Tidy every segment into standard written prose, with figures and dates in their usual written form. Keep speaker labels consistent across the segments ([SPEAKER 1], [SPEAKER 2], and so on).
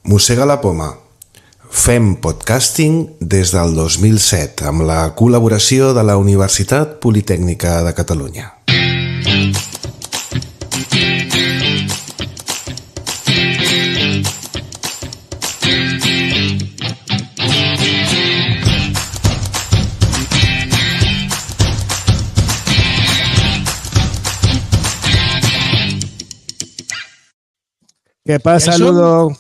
[SPEAKER 1] Mossega la poma. Fem podcasting des del 2007 amb la col·laboració de la Universitat Politècnica de Catalunya.
[SPEAKER 2] Què passa, Ludo?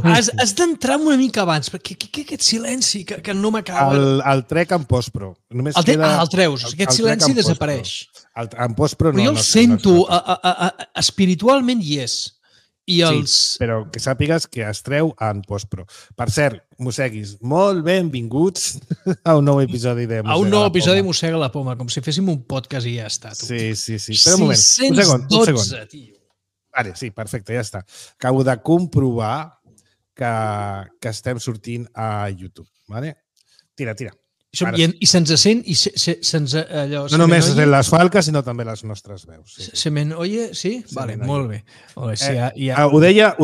[SPEAKER 3] Has d'entrar una mica abans, perquè aquest silenci que no m'acaba...
[SPEAKER 2] El trec en postpro.
[SPEAKER 3] El treus, aquest silenci desapareix.
[SPEAKER 2] En postpro no.
[SPEAKER 3] Però jo el sento, espiritualment hi és.
[SPEAKER 2] Sí, però que sàpigues que es treu en postpro. Per cert, mosseguis, molt benvinguts a un nou episodi de Mossega la Poma.
[SPEAKER 3] A un nou episodi de Mossega la Poma, com si féssim un podcast i ja està.
[SPEAKER 2] Sí. Espera un moment, un segon.
[SPEAKER 3] Tio.
[SPEAKER 2] Vale, sí, perfecte, ja està. Acabo de comprovar que estem sortint a YouTube. Vale? Tira.
[SPEAKER 3] I se'ns sent i se'ns allò...
[SPEAKER 2] No només les falques, sinó també les nostres veus.
[SPEAKER 3] Se me'n oye? Sí? Vale, molt bé.
[SPEAKER 2] Ho deia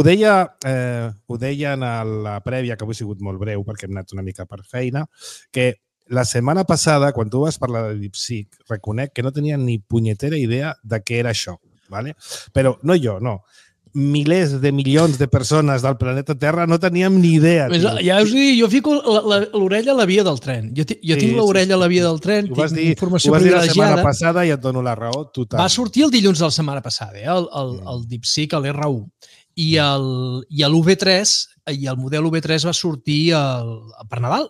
[SPEAKER 2] en la prèvia, que avui ha sigut molt breu perquè hem anat una mica per feina, que la setmana passada, quan tu vas parlar de DeepSeek, reconec que no tenia ni punyetera idea de què era això. Vale? Però no jo, no. Milers de milions de persones del planeta Terra no teníem ni idea.
[SPEAKER 3] Ja us dic, jo fico l'orella a la via del tren. Jo tinc l'orella a la via del tren, tinc informació privilegiada.
[SPEAKER 2] Ho vas dir la setmana passada i et dono la raó total.
[SPEAKER 3] Va sortir el dilluns de la setmana passada, el DeepSeek, l'R1. I l'UV3, i el model UV3 va sortir per Nadal.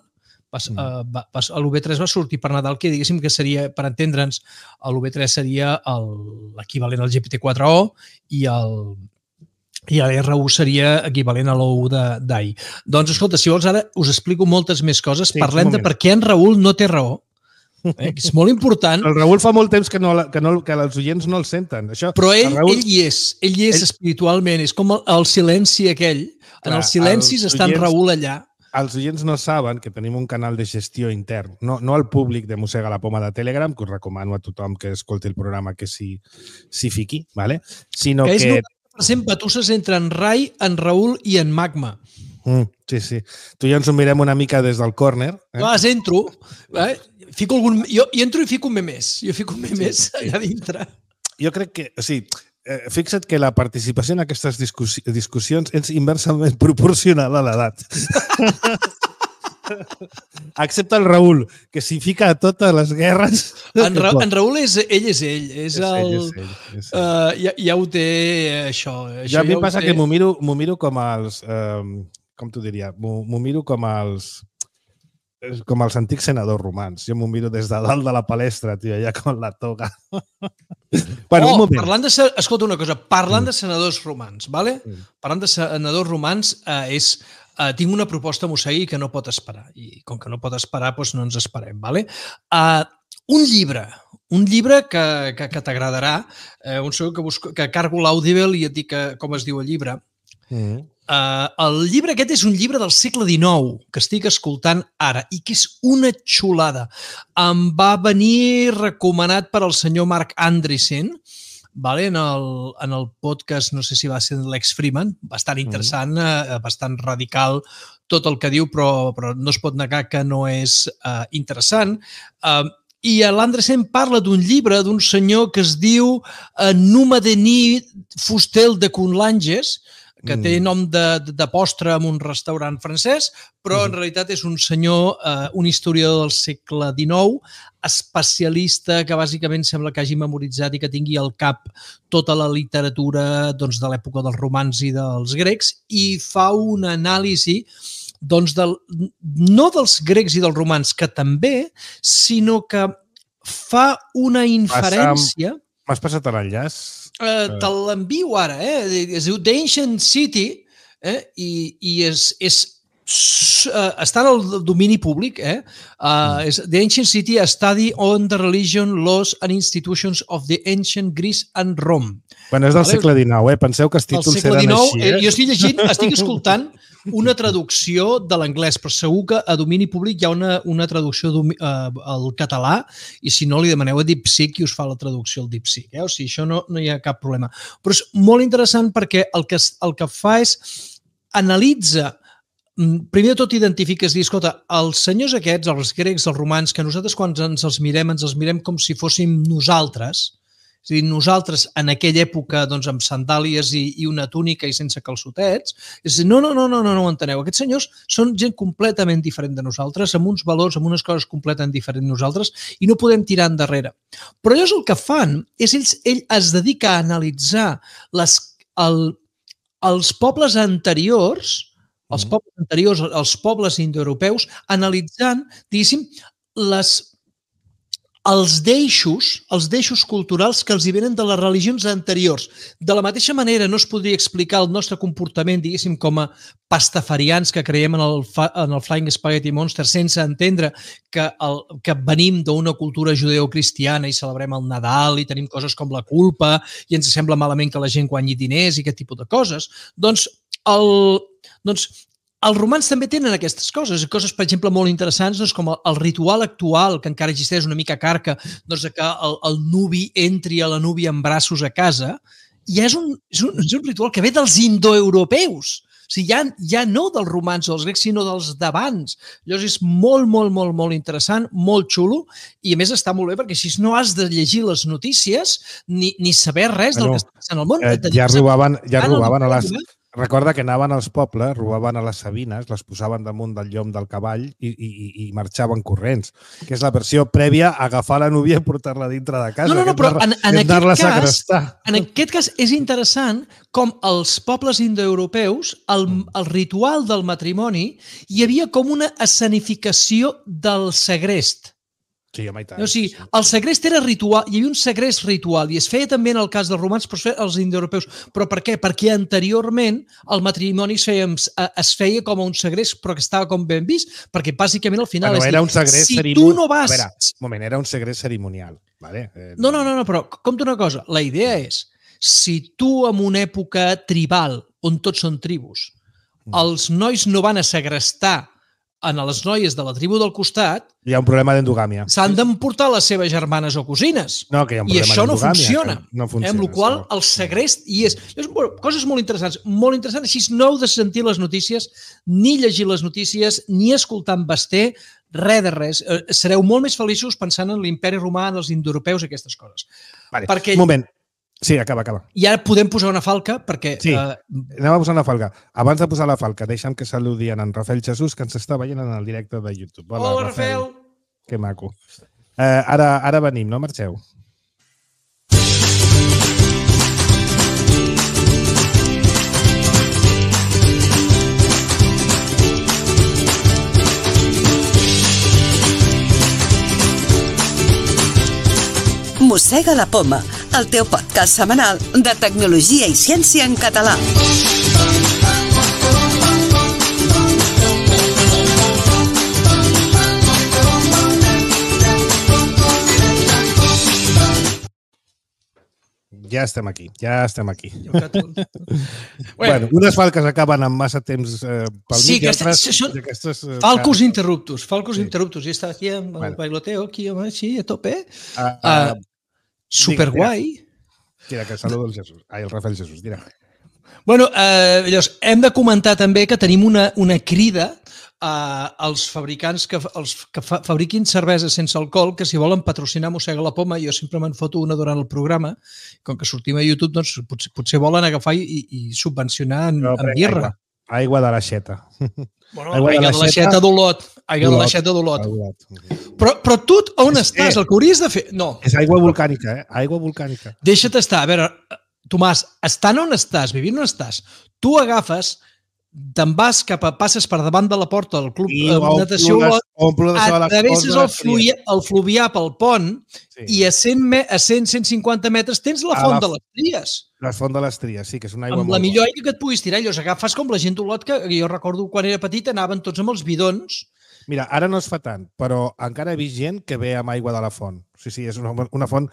[SPEAKER 3] L'UV3 va sortir per Nadal, que diguéssim que seria, per entendre'ns, l'UV3 seria l'equivalent al GPT-4o i l'R1 seria equivalent a l'U1 d'ahir. Doncs, escolta, si vols, ara us explico moltes més coses. Parlem de per què en Raül no té raó. És molt important.
[SPEAKER 2] El Raül fa molt temps que els oients no el senten.
[SPEAKER 3] Però ell hi és espiritualment. És com el silenci aquell. En els silencis està en Raül allà.
[SPEAKER 2] Els oients no saben que tenim un canal de gestió intern, no al públic de Mossega la Poma de Telegram, que us recomano a tothom que escolti el programa que s'hi fiqui, ¿vale? Sinó
[SPEAKER 3] que... és 90% batusses entre en Rai, en Raül i en Magma.
[SPEAKER 2] Sí. Tu i jo ens ho mirem una mica des del córner.
[SPEAKER 3] Entro, jo entro i fico un memés. Jo fico un memés allà dintre.
[SPEAKER 2] Jo crec que, fixa't que la participació en aquestes discussions és inversament proporcional a l'edat. Excepte el Raül, que s'hi fica a totes les guerres.
[SPEAKER 3] En Raül ell és ell. Ja ho té, això.
[SPEAKER 2] Ja a mi em passa que m'ho miro com els... Com t'ho diria? M'ho miro com els antics senadors romans. Jo m'ho miro des de dalt de la palestra, tio, allà com la toga.
[SPEAKER 3] Escolta una cosa, parlant de senadors romans, ¿vale? Parlant de senadors romans, tinc una proposta, Mossegui, que no pot esperar. I com que no pot esperar, doncs no ens esperem, ¿vale? Un llibre que t'agradarà, que cargo l'Audible i et dic com es diu el llibre. El llibre aquest és un llibre del segle XIX que estic escoltant ara i que és una xulada. Em va venir recomanat per el senyor Marc Andreessen en el podcast, no sé si va ser l'Ex Freeman, bastant interessant, bastant radical tot el que diu, però no es pot negar que no és interessant. I l'Andreessen parla d'un llibre d'un senyor que es diu Numa Denis Fustel de Conlanges, que té nom de postre en un restaurant francès, però en realitat és un senyor, un historiador del segle XIX, especialista que bàsicament sembla que hagi memoritzat i que tingui al cap tota la literatura de l'època dels romans i dels grecs i fa una anàlisi no dels grecs i dels romans, que també, sinó que fa una inferència...
[SPEAKER 2] M'has passat l'enllaç?
[SPEAKER 3] Te l'envio ara, es diu The Ancient City i està en el domini públic, The Ancient City, a study on the religion, laws and institutions of the ancient Greece and Rome.
[SPEAKER 2] Bueno, és del segle XIX, penseu que els títols eren així.
[SPEAKER 3] Jo estic llegint, estic escoltant una traducció de l'anglès, però segur que a domini públic hi ha una traducció al català i si no li demaneu a DeepSeek i us fa la traducció al DeepSeek. O sigui, això no hi ha cap problema. Però és molt interessant perquè el que fa és analitza, primer de tot identifiques, dir, escolta, els senyors aquests, els grecs, els romans, que nosaltres quan ens els mirem com si fóssim nosaltres, és a dir, nosaltres en aquella època doncs, amb sandàlies i una túnica i sense calçotets, és a dir, no ho enteneu. Aquests senyors són gent completament diferent de nosaltres, amb uns valors, amb unes coses completament diferents de nosaltres, i no podem tirar endarrere. Però ells el que fan és ell es dedica a analitzar els pobles anteriors, els pobles indoeuropeus, analitzant, diguéssim, els deixos culturals que els hi venen de les religions anteriors. De la mateixa manera no es podria explicar el nostre comportament, diguéssim, com a pastafarians que creiem en el Flying Spaghetti Monster sense entendre que venim d'una cultura judeocristiana i celebrem el Nadal i tenim coses com la culpa i ens sembla malament que la gent guanyi diners i aquest tipus de coses. Doncs els romans també tenen aquestes coses, per exemple, molt interessants, com el ritual actual, que encara existeix una mica carca, que el nuvi entri a la núvia en braços a casa, i és un ritual que ve dels indoeuropeus. O sigui, ja no dels romans o dels grecs, sinó dels d'abans. Llavors és molt, molt, molt, molt interessant, molt xulo, i a més està molt bé perquè així no has de llegir les notícies ni saber res del que està passant al món.
[SPEAKER 2] Ja robaven a les... Recorda que anaven als pobles, robaven a les sabines, les posaven damunt del llom del cavall i marxaven corrents, que és la versió prèvia a agafar la núvia i portar-la dintre de casa.
[SPEAKER 3] No, però en aquest cas és interessant com els pobles indoeuropeus, el ritual del matrimoni, hi havia com una escenificació del segrest.
[SPEAKER 2] Sí, home, i tant.
[SPEAKER 3] O sigui, el segrest era ritual, hi havia un segrest ritual i es feia també en el cas dels romans, però es feia als indoeuropeus. Però per què? Perquè anteriorment el matrimoni es feia com a un segrest, però que estava com ben vist, perquè bàsicament al final...
[SPEAKER 2] Era un segrest cerimonial. A veure, un moment, era un segrest cerimonial.
[SPEAKER 3] No, però compta una cosa. La idea és, si tu en una època tribal, on tots són tribus, els nois no van a segrestar a les noies de la tribu del costat,
[SPEAKER 2] hi ha un problema d'endogàmia.
[SPEAKER 3] S'han d'emportar les seves germanes o cosines.
[SPEAKER 2] I
[SPEAKER 3] això no funciona. Amb la qual el segrest hi és. Coses molt interessants. Molt interessants. Així no heu de sentir les notícies, ni llegir les notícies, ni escoltar en Basté, res de res. Sereu molt més feliços pensant en l'imperi romà, en els indoeuropeus, aquestes coses.
[SPEAKER 2] Un moment. Sí, acaba.
[SPEAKER 3] I ara podem posar una falca perquè...
[SPEAKER 2] Sí, anem a posar una falca. Abans de posar la falca, deixa'm que saludi en Rafael Jesús, que ens està veient en el directe de YouTube.
[SPEAKER 3] Hola, Rafael!
[SPEAKER 2] Que maco. Ara venim, no marxeu.
[SPEAKER 4] Mossega la Poma, el teu podcast setmanal de tecnologia i ciència en català.
[SPEAKER 2] Ja estem aquí. Bueno, unes falques acaben amb massa temps pel mig.
[SPEAKER 3] Sí, falcos interruptus. Jo estava aquí amb el bailoteo, aquí, així, a tope. Superguai.
[SPEAKER 2] Tira, que saludo el Jesús. El Rafael Jesús, tira.
[SPEAKER 3] Bueno, llavors, hem de comentar també que tenim una crida als fabricants que fabriquin cervesa sense alcohol, que si volen patrocinar Mossega la Poma, jo sempre me'n foto una durant el programa, com que sortim a YouTube, doncs potser volen agafar i subvencionar en birra.
[SPEAKER 2] Aigua de l'aixeta.
[SPEAKER 3] Aigua de l'aixeta d'Olot. Aigua de l'aixeta d'Olot. Però tu on estàs? El que hauries de fer... No.
[SPEAKER 2] És aigua volcànica, Aigua volcànica.
[SPEAKER 3] Deixa't estar. A veure, Tomàs, estant on estàs, vivint on estàs, tu agafes, te'n vas passes per davant de la porta del club de natació Olot, travesses el Fluvià pel pont i a 100-150 metres tens la Font de les Tries.
[SPEAKER 2] La Font de les Tries, sí, que és una aigua molt
[SPEAKER 3] bona. Amb la millor aigua que et puguis tirar. Llavors agafes com la gent d'Olot, que jo recordo quan era petit anaven tots amb els bidons.
[SPEAKER 2] Mira, ara no es fa tant, però encara he vist gent que ve amb aigua de la font. Sí, és una font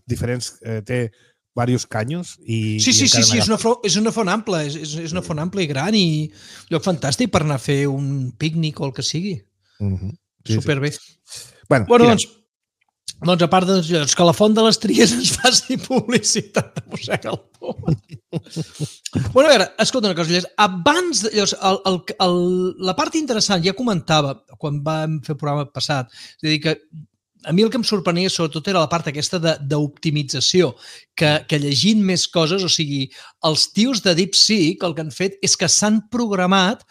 [SPEAKER 2] diferents, té diversos canyos.
[SPEAKER 3] Sí, és una font ampla, és una font ampla i gran i lloc fantàstic per anar a fer un pícnic o el que sigui. Superbé.
[SPEAKER 2] Bueno,
[SPEAKER 3] doncs, Doncs a part que la Font de les Tries ens faci publicitat de Mossega la Poma. Bueno, a veure, escolta una cosa, abans, la part interessant, ja comentava quan vam fer el programa passat, és a dir, que a mi el que em sorprenia sobretot era la part aquesta d'optimització, que llegint més coses, o sigui, els tios de DeepSeek el que han fet és que s'han programat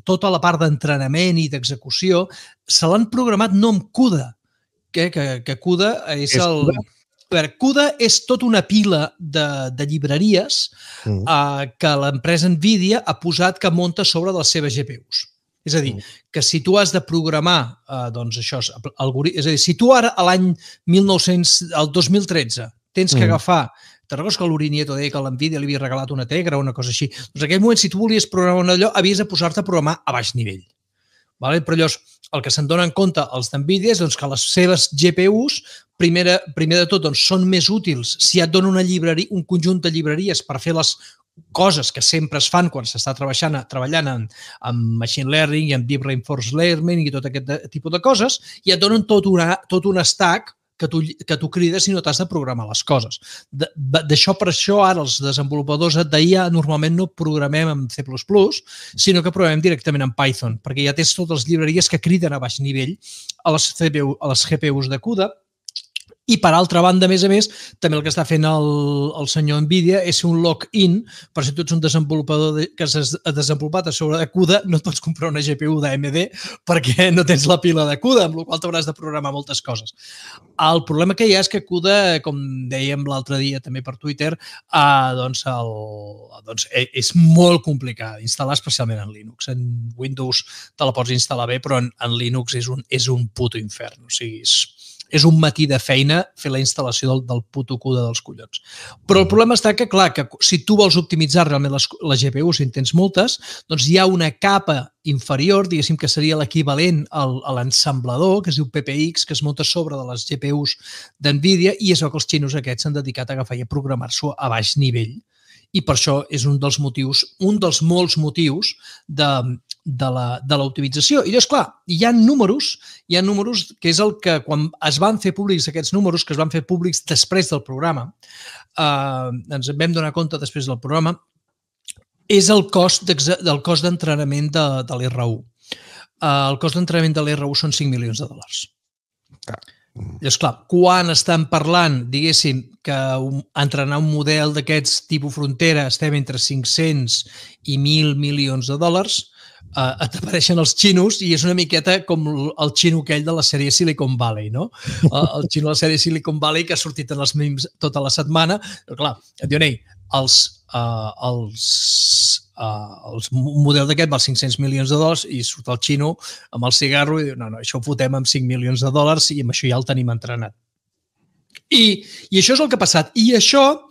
[SPEAKER 3] tota la part d'entrenament i d'execució, se l'han programat no amb CUDA, que CUDA és el... A veure, CUDA és tota una pila de llibreries que l'empresa NVIDIA ha posat que munta sobre de les seves GPUs. És a dir, que si tu has de programar, doncs això, és a dir, si tu ara a l'any 2013 tens que agafar, te'n recordes que l'Urinieto deia que l'NVIDIA li havia regalat una Tegra o una cosa així? Doncs en aquell moment, si tu volies programar un allò, havies de posar-te a programar a baix nivell. Però llavors, el que se'n donen compte els d'NVIDIA és que les seves GPUs, primer de tot, són més útils si et donen un conjunt de llibreries per fer les coses que sempre es fan quan s'està treballant en machine learning i en deep reinforcement learning i tot aquest tipus de coses, i et donen tot un stack que tu crides i no t'has de programar les coses. Per això ara els desenvolupadors d'IA normalment no programem en C++, sinó que programem directament en Python, perquè ja tens totes les llibreries que criden a baix nivell a les GPUs de CUDA. I, per altra banda, a més, també el que està fent el senyor NVIDIA és un lock-in, per si tu ets un desenvolupador que has desenvolupat a sobre de CUDA, no et pots comprar una GPU d'AMD perquè no tens la pila de CUDA, amb la qual t'hauràs de programar moltes coses. El problema que hi ha és que CUDA, com dèiem l'altre dia també per Twitter, és molt complicat instal·lar, especialment en Linux. En Windows te la pots instal·lar bé, però en Linux és un puto infern. O sigui, és un matí de feina fer la instal·lació del puto CUDA dels collons. Però el problema està que, clar, que si tu vols optimitzar realment les GPUs, si en tens moltes, doncs hi ha una capa inferior, diguéssim que seria l'equivalent a l'ensamblador, que es diu PPX, que es munta sobre de les GPUs d'NVIDIA, i és el que els xinos aquests s'han dedicat a agafar i a programar-s'ho a baix nivell. I per això és un dels molts motius de l'optimització. I llavors, clar, hi ha números que és el que quan es van fer públics aquests números, que es van fer públics després del programa, ens vam donar compte després del programa, és el cost d'entrenament de l'R1. El cost d'entrenament de l'R1 són $5 milions. Llavors, clar, quan estan parlant, diguéssim, que entrenar un model d'aquests tipus frontera estem entre 500 i $1.000 milions, et apareixen els xinos i és una miqueta com el xino aquell de la sèrie Silicon Valley, no? El xino de la sèrie Silicon Valley que ha sortit en els memes tota la setmana. Però, clar, et diuen, el model d'aquest val $500 milions i surt el xino amb el cigarro i diu, no, això ho fotem amb $5 milions i amb això ja el tenim entrenat. I això és el que ha passat. I això,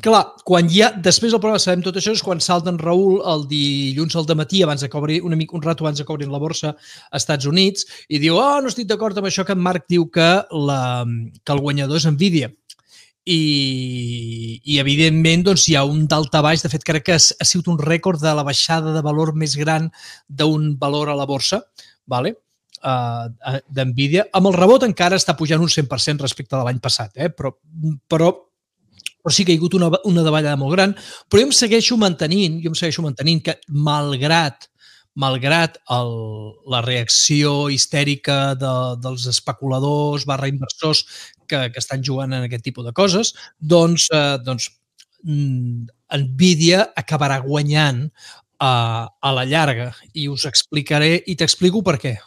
[SPEAKER 3] clar, quan després del programa sabem tot això, és quan salta en Raül el dilluns al dematí, un rato abans de que obrin la borsa als Estats Units, i diu, no estic d'acord amb això que en Marc diu que el guanyador és NVIDIA. I evidentment, doncs, hi ha un daltabaix. De fet, crec que ha sigut un rècord de la baixada de valor més gran d'un valor a la borsa, d'NVIDIA. Amb el rebot encara està pujant un 100% respecte de l'any passat, però sí que hi ha hagut una davallada molt gran. Però jo em segueixo mantenint que malgrat la reacció histèrica dels especuladors /inversors que estan jugant en aquest tipus de coses, doncs NVIDIA acabarà guanyant a la llarga. I us explicaré, i t'explico per què.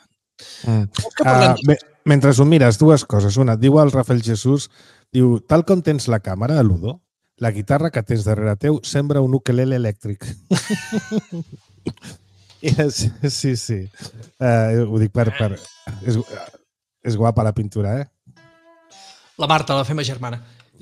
[SPEAKER 2] Mentre ho mires, dues coses. Una, diu el Rafael Jesús, diu, tal com tens la càmera, Ludo, la guitarra que tens darrere teu sembra un ukelele elèctric. Sí. Ho dic per... És guapa la pintura,
[SPEAKER 3] La Marta, la fema germana.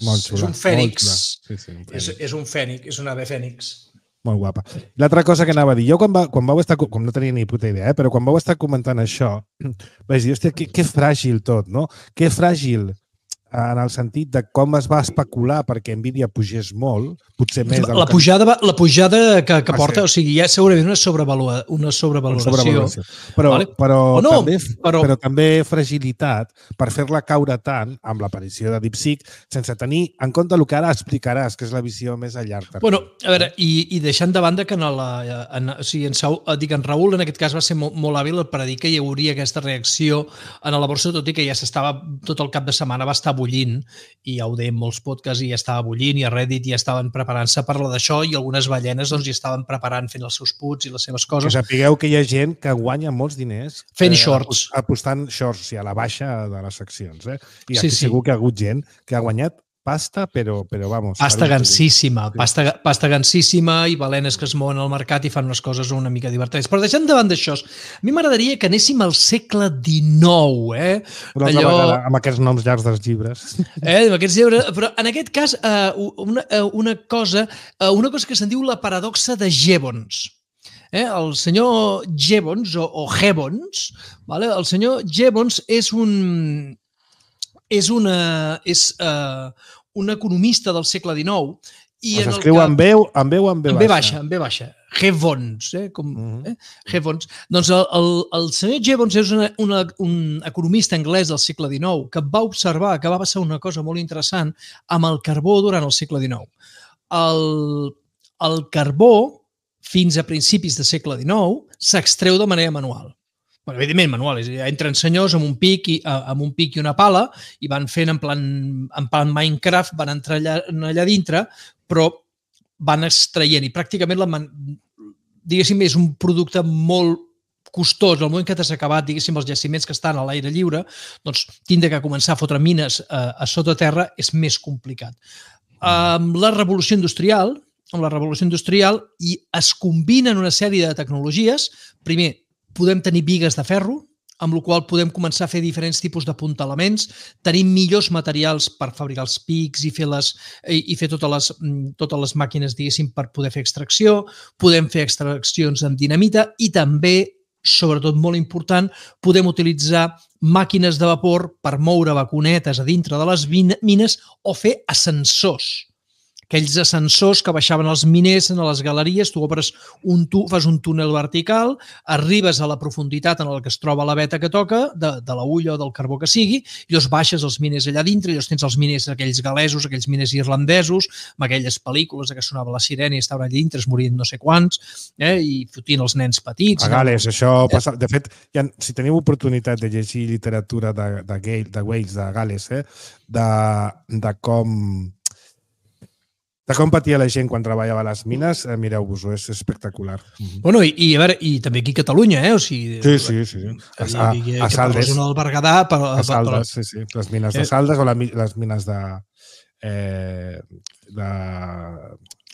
[SPEAKER 2] Molt xula.
[SPEAKER 3] És un fènix.
[SPEAKER 2] És
[SPEAKER 3] un fènix, és un ave fènix.
[SPEAKER 2] Molt guapa. L'altra cosa que anava a dir, jo quan vau estar, com no tenia ni puta idea, però quan vau estar comentant això, vaig dir, hòstia, que fràgil tot, no? Que fràgil en el sentit de com es va especular perquè Nvidia pugés molt, potser més...
[SPEAKER 3] La pujada que porta, o sigui, hi ha segurament una sobrevaloració.
[SPEAKER 2] Però també fragilitat per fer-la caure tant amb l'aparició de DeepSeek sense tenir en compte el que ara explicaràs, que és la visió més a llarg termini.
[SPEAKER 3] Bueno, a veure, i deixant de banda que en Raül en aquest cas va ser molt hàbil per dir que hi hauria aquesta reacció en la borsa, tot i que ja s'estava, tot el cap de setmana va estar bullint, i ja ho deien molts podcasts, i ja estava bullint, i a Reddit ja estaven preparant-se per parlar d'això, i algunes ballenes ja estaven preparant, fent els seus puts i les seves coses.
[SPEAKER 2] Que sapigueu que hi ha gent que guanya molts diners
[SPEAKER 3] fent shorts.
[SPEAKER 2] Apostant shorts, o sigui, a la baixa de les accions. I aquí segur que ha hagut gent que ha guanyat pasta, però vamos...
[SPEAKER 3] Pasta gansíssima i balenes que es mouen al mercat i fan unes coses una mica divertides. Però deixant davant d'això, a mi m'agradaria que anéssim al segle XIX.
[SPEAKER 2] Una altra vegada, amb aquests noms llargs dels llibres.
[SPEAKER 3] Amb aquests llibres, però en aquest cas, una cosa que se'n diu la paradoxa de Jevons. El senyor Jevons, o Jevons, el senyor Jevons és un economista del segle XIX.
[SPEAKER 2] S'escriu amb veu o amb ve baixa?
[SPEAKER 3] Amb ve baixa. Jevons. Jevons. Doncs el senyor Jevons és un economista anglès del segle XIX que va observar que va passar una cosa molt interessant amb el carbó durant el segle XIX. El carbó, fins a principis del segle XIX, s'extreu de manera manual. Bueno, evidentment, manual. Entren senyors amb un pic i una pala i van fent en plan Minecraft, van entrar allà dintre, però van extraient i pràcticament, diguéssim, és un producte molt costós. Al moment que t'has acabat, diguéssim, els jaciments que estan a l'aire lliure, doncs tindre que començar a fotre mines a sota terra és més complicat. Amb la revolució industrial i es combinen una sèrie de tecnologies. Primer, podem tenir bigues de ferro, amb la qual podem començar a fer diferents tipus d'apuntalaments, tenim millors materials per fabricar els pics i fer totes les màquines, diguéssim, per poder fer extracció, podem fer extraccions amb dinamita i també, sobretot molt important, podem utilitzar màquines de vapor per moure vacunetes a dintre de les mines o fer ascensors. Aquells ascensors que baixaven els miners a les galeries, tu fas un túnel vertical, arribes a la profunditat en què es troba la veta que toca, de la ulla o del carbó que sigui, i llavors baixes els miners allà dintre, i llavors tens els miners aquells galesos, aquells miners irlandesos, amb aquelles pel·lícules que sonava la sirena i estaven allà dintre, es morien no sé quants, i fotien els nens petits.
[SPEAKER 2] A Gales, això passa... De fet, si teniu oportunitat de llegir literatura de Wales, de Gales, de com patia la gent quan treballava a les mines, mireu-vos-ho, és espectacular.
[SPEAKER 3] Bueno, i també aquí a Catalunya, o sigui...
[SPEAKER 2] Sí. A Saldes. A Saldes, sí. Les mines de Saldes o les mines de...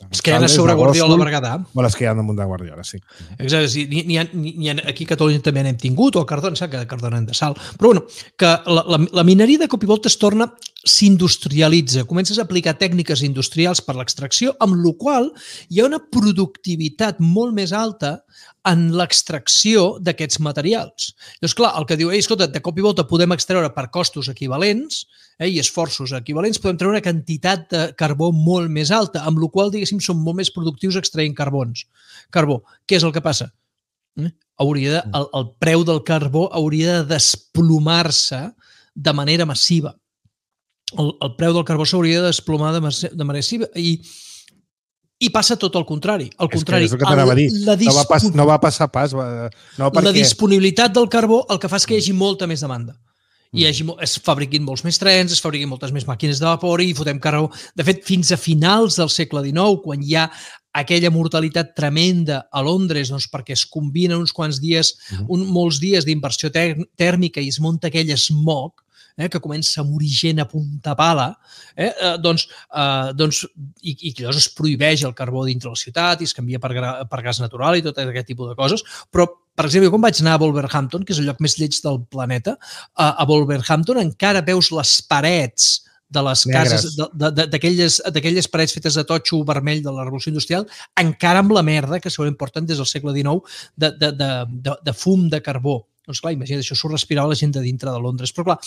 [SPEAKER 3] Les que hi ha a sobre Guardiola de Berguedà.
[SPEAKER 2] O les que hi ha damunt de Guardiola, sí.
[SPEAKER 3] Exacte, aquí a Catalunya també n'hem tingut, o a Cardona, sap que a Cardona hem de sal. Però bueno, que la mineria de cop i volta s'industrialitza, comences a aplicar tècniques industrials per l'extracció, amb la qual hi ha una productivitat molt més alta en l'extracció d'aquests materials. Llavors, clar, el que diu, escolta, de cop i volta podem extreure per costos equivalents i esforços equivalents, podem treure una quantitat de carbó molt més alta, amb la qual, diguéssim, som molt més productius extraient carbó. Què és el que passa? El preu del carbó hauria de desplomar-se de manera massiva. El preu del carbó s'hauria de desplomar de manera massiva i passa tot el contrari. Al contrari,
[SPEAKER 2] és el que t'anava a dir. No va passar pas.
[SPEAKER 3] La disponibilitat del carbó el que fa és que hi hagi molta més demanda. Es fabriquin molts més trens, es fabriquin moltes més màquines de vapor i fotem carbó. De fet, fins a finals del segle XIX, quan hi ha aquella mortalitat tremenda a Londres, doncs perquè es combinen uns quants dies, molts dies d'inversió tèrmica i es munta aquell smog, que comença a morir gent a punta pala, i llavors es prohibeix el carbó dintre la ciutat i es canvia per gas natural i tot aquest tipus de coses. Però, per exemple, quan vaig anar a Wolverhampton, que és el lloc més lleig del planeta, a Wolverhampton encara veus les parets de les cases, d'aquelles parets fetes de totxo vermell de la Revolució Industrial, encara amb la merda que segurament porten des del segle XIX de fum de carbó. Doncs clar, imagina't, això s'ho respirava la gent de dintre de Londres. Però clar,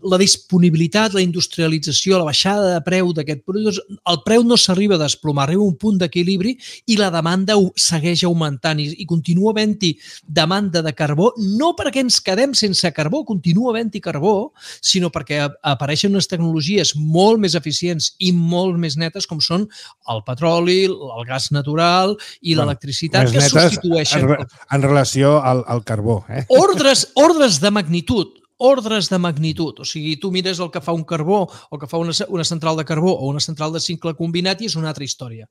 [SPEAKER 3] la disponibilitat, la industrialització, la baixada de preu d'aquest producte, el preu no s'arriba a desplomar, arriba a un punt d'equilibri i la demanda segueix augmentant i continua havent-hi demanda de carbó, no perquè ens quedem sense carbó, continua havent-hi carbó, sinó perquè apareixen unes tecnologies molt més eficients i molt més netes com són el petroli, el gas natural i l'electricitat que substitueixen...
[SPEAKER 2] En relació al carbó.
[SPEAKER 3] Ordres de magnitud. O sigui, tu mires el que fa un carbó o que fa una central de carbó o una central de cicle combinat i és una altra història.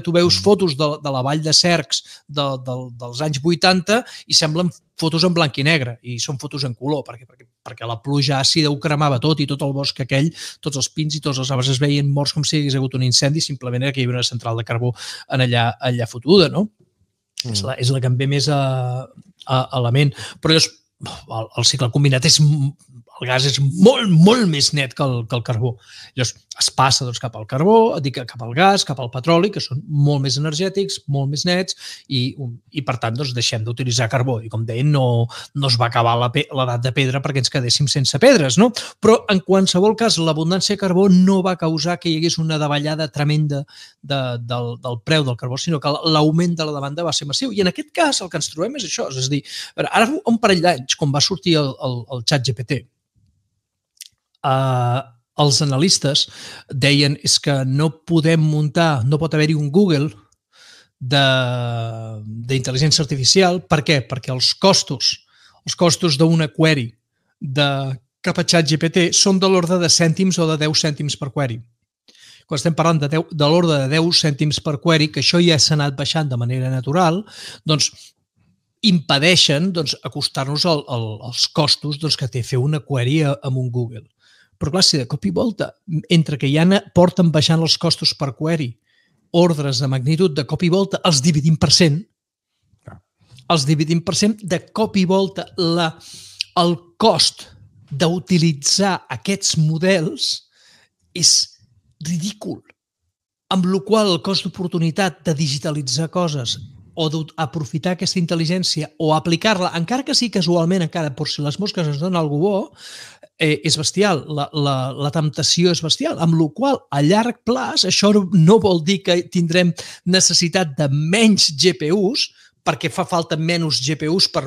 [SPEAKER 3] Tu veus fotos de la vall de Cercs dels anys 80 i semblen fotos en blanc i negre i són fotos en color perquè la pluja àcida ho cremava tot i tot el bosc aquell, tots els pins i tots els arbres es veien morts com si hi hagués hagut un incendi, simplement era que hi havia una central de carbó allà fotuda, no? És la que em ve més a la ment. Però el cicle combinat el gas és molt, molt més net que el carbó. Llavors es passa cap al carbó, cap al gas, cap al petroli, que són molt més energètics, molt més nets i per tant deixem d'utilitzar carbó. I com deien, no es va acabar l'edat de pedra perquè ens quedéssim sense pedres, no? Però en qualsevol cas, l'abundància de carbó no va causar que hi hagués una davallada tremenda del preu del carbó, sinó que l'augment de la demanda va ser massiu. I en aquest cas el que ens trobem és això. És a dir, ara un parell d'anys, quan va sortir el ChatGPT, els analistes deien és que no podem muntar, no pot haver-hi un Google d'intel·ligència artificial. Per què? Perquè els costos d'una query cap a ChatGPT són de l'ordre de cèntims o de 10 cèntims per query. Quan estem parlant de l'ordre de 10 cèntims per query, que això ja s'ha anat baixant de manera natural, doncs impedeixen acostar-nos als costos que té fer una query amb un Google. Però clar, si de cop i volta, entre que ja porten baixant els costos per query, ordres de magnitud, de cop i volta els dividim per 100, de cop i volta el cost d'utilitzar aquests models és ridícul. Amb la qual cosa el cost d'oportunitat de digitalitzar coses o d'aprofitar aquesta intel·ligència o aplicar-la, encara que sí casualment, encara per si les mosques ens donen alguna cosa bo, és bestial, la temptació és bestial, amb la qual cosa a llarg plaç això no vol dir que tindrem necessitat de menys GPUs, perquè fa falta menys GPUs per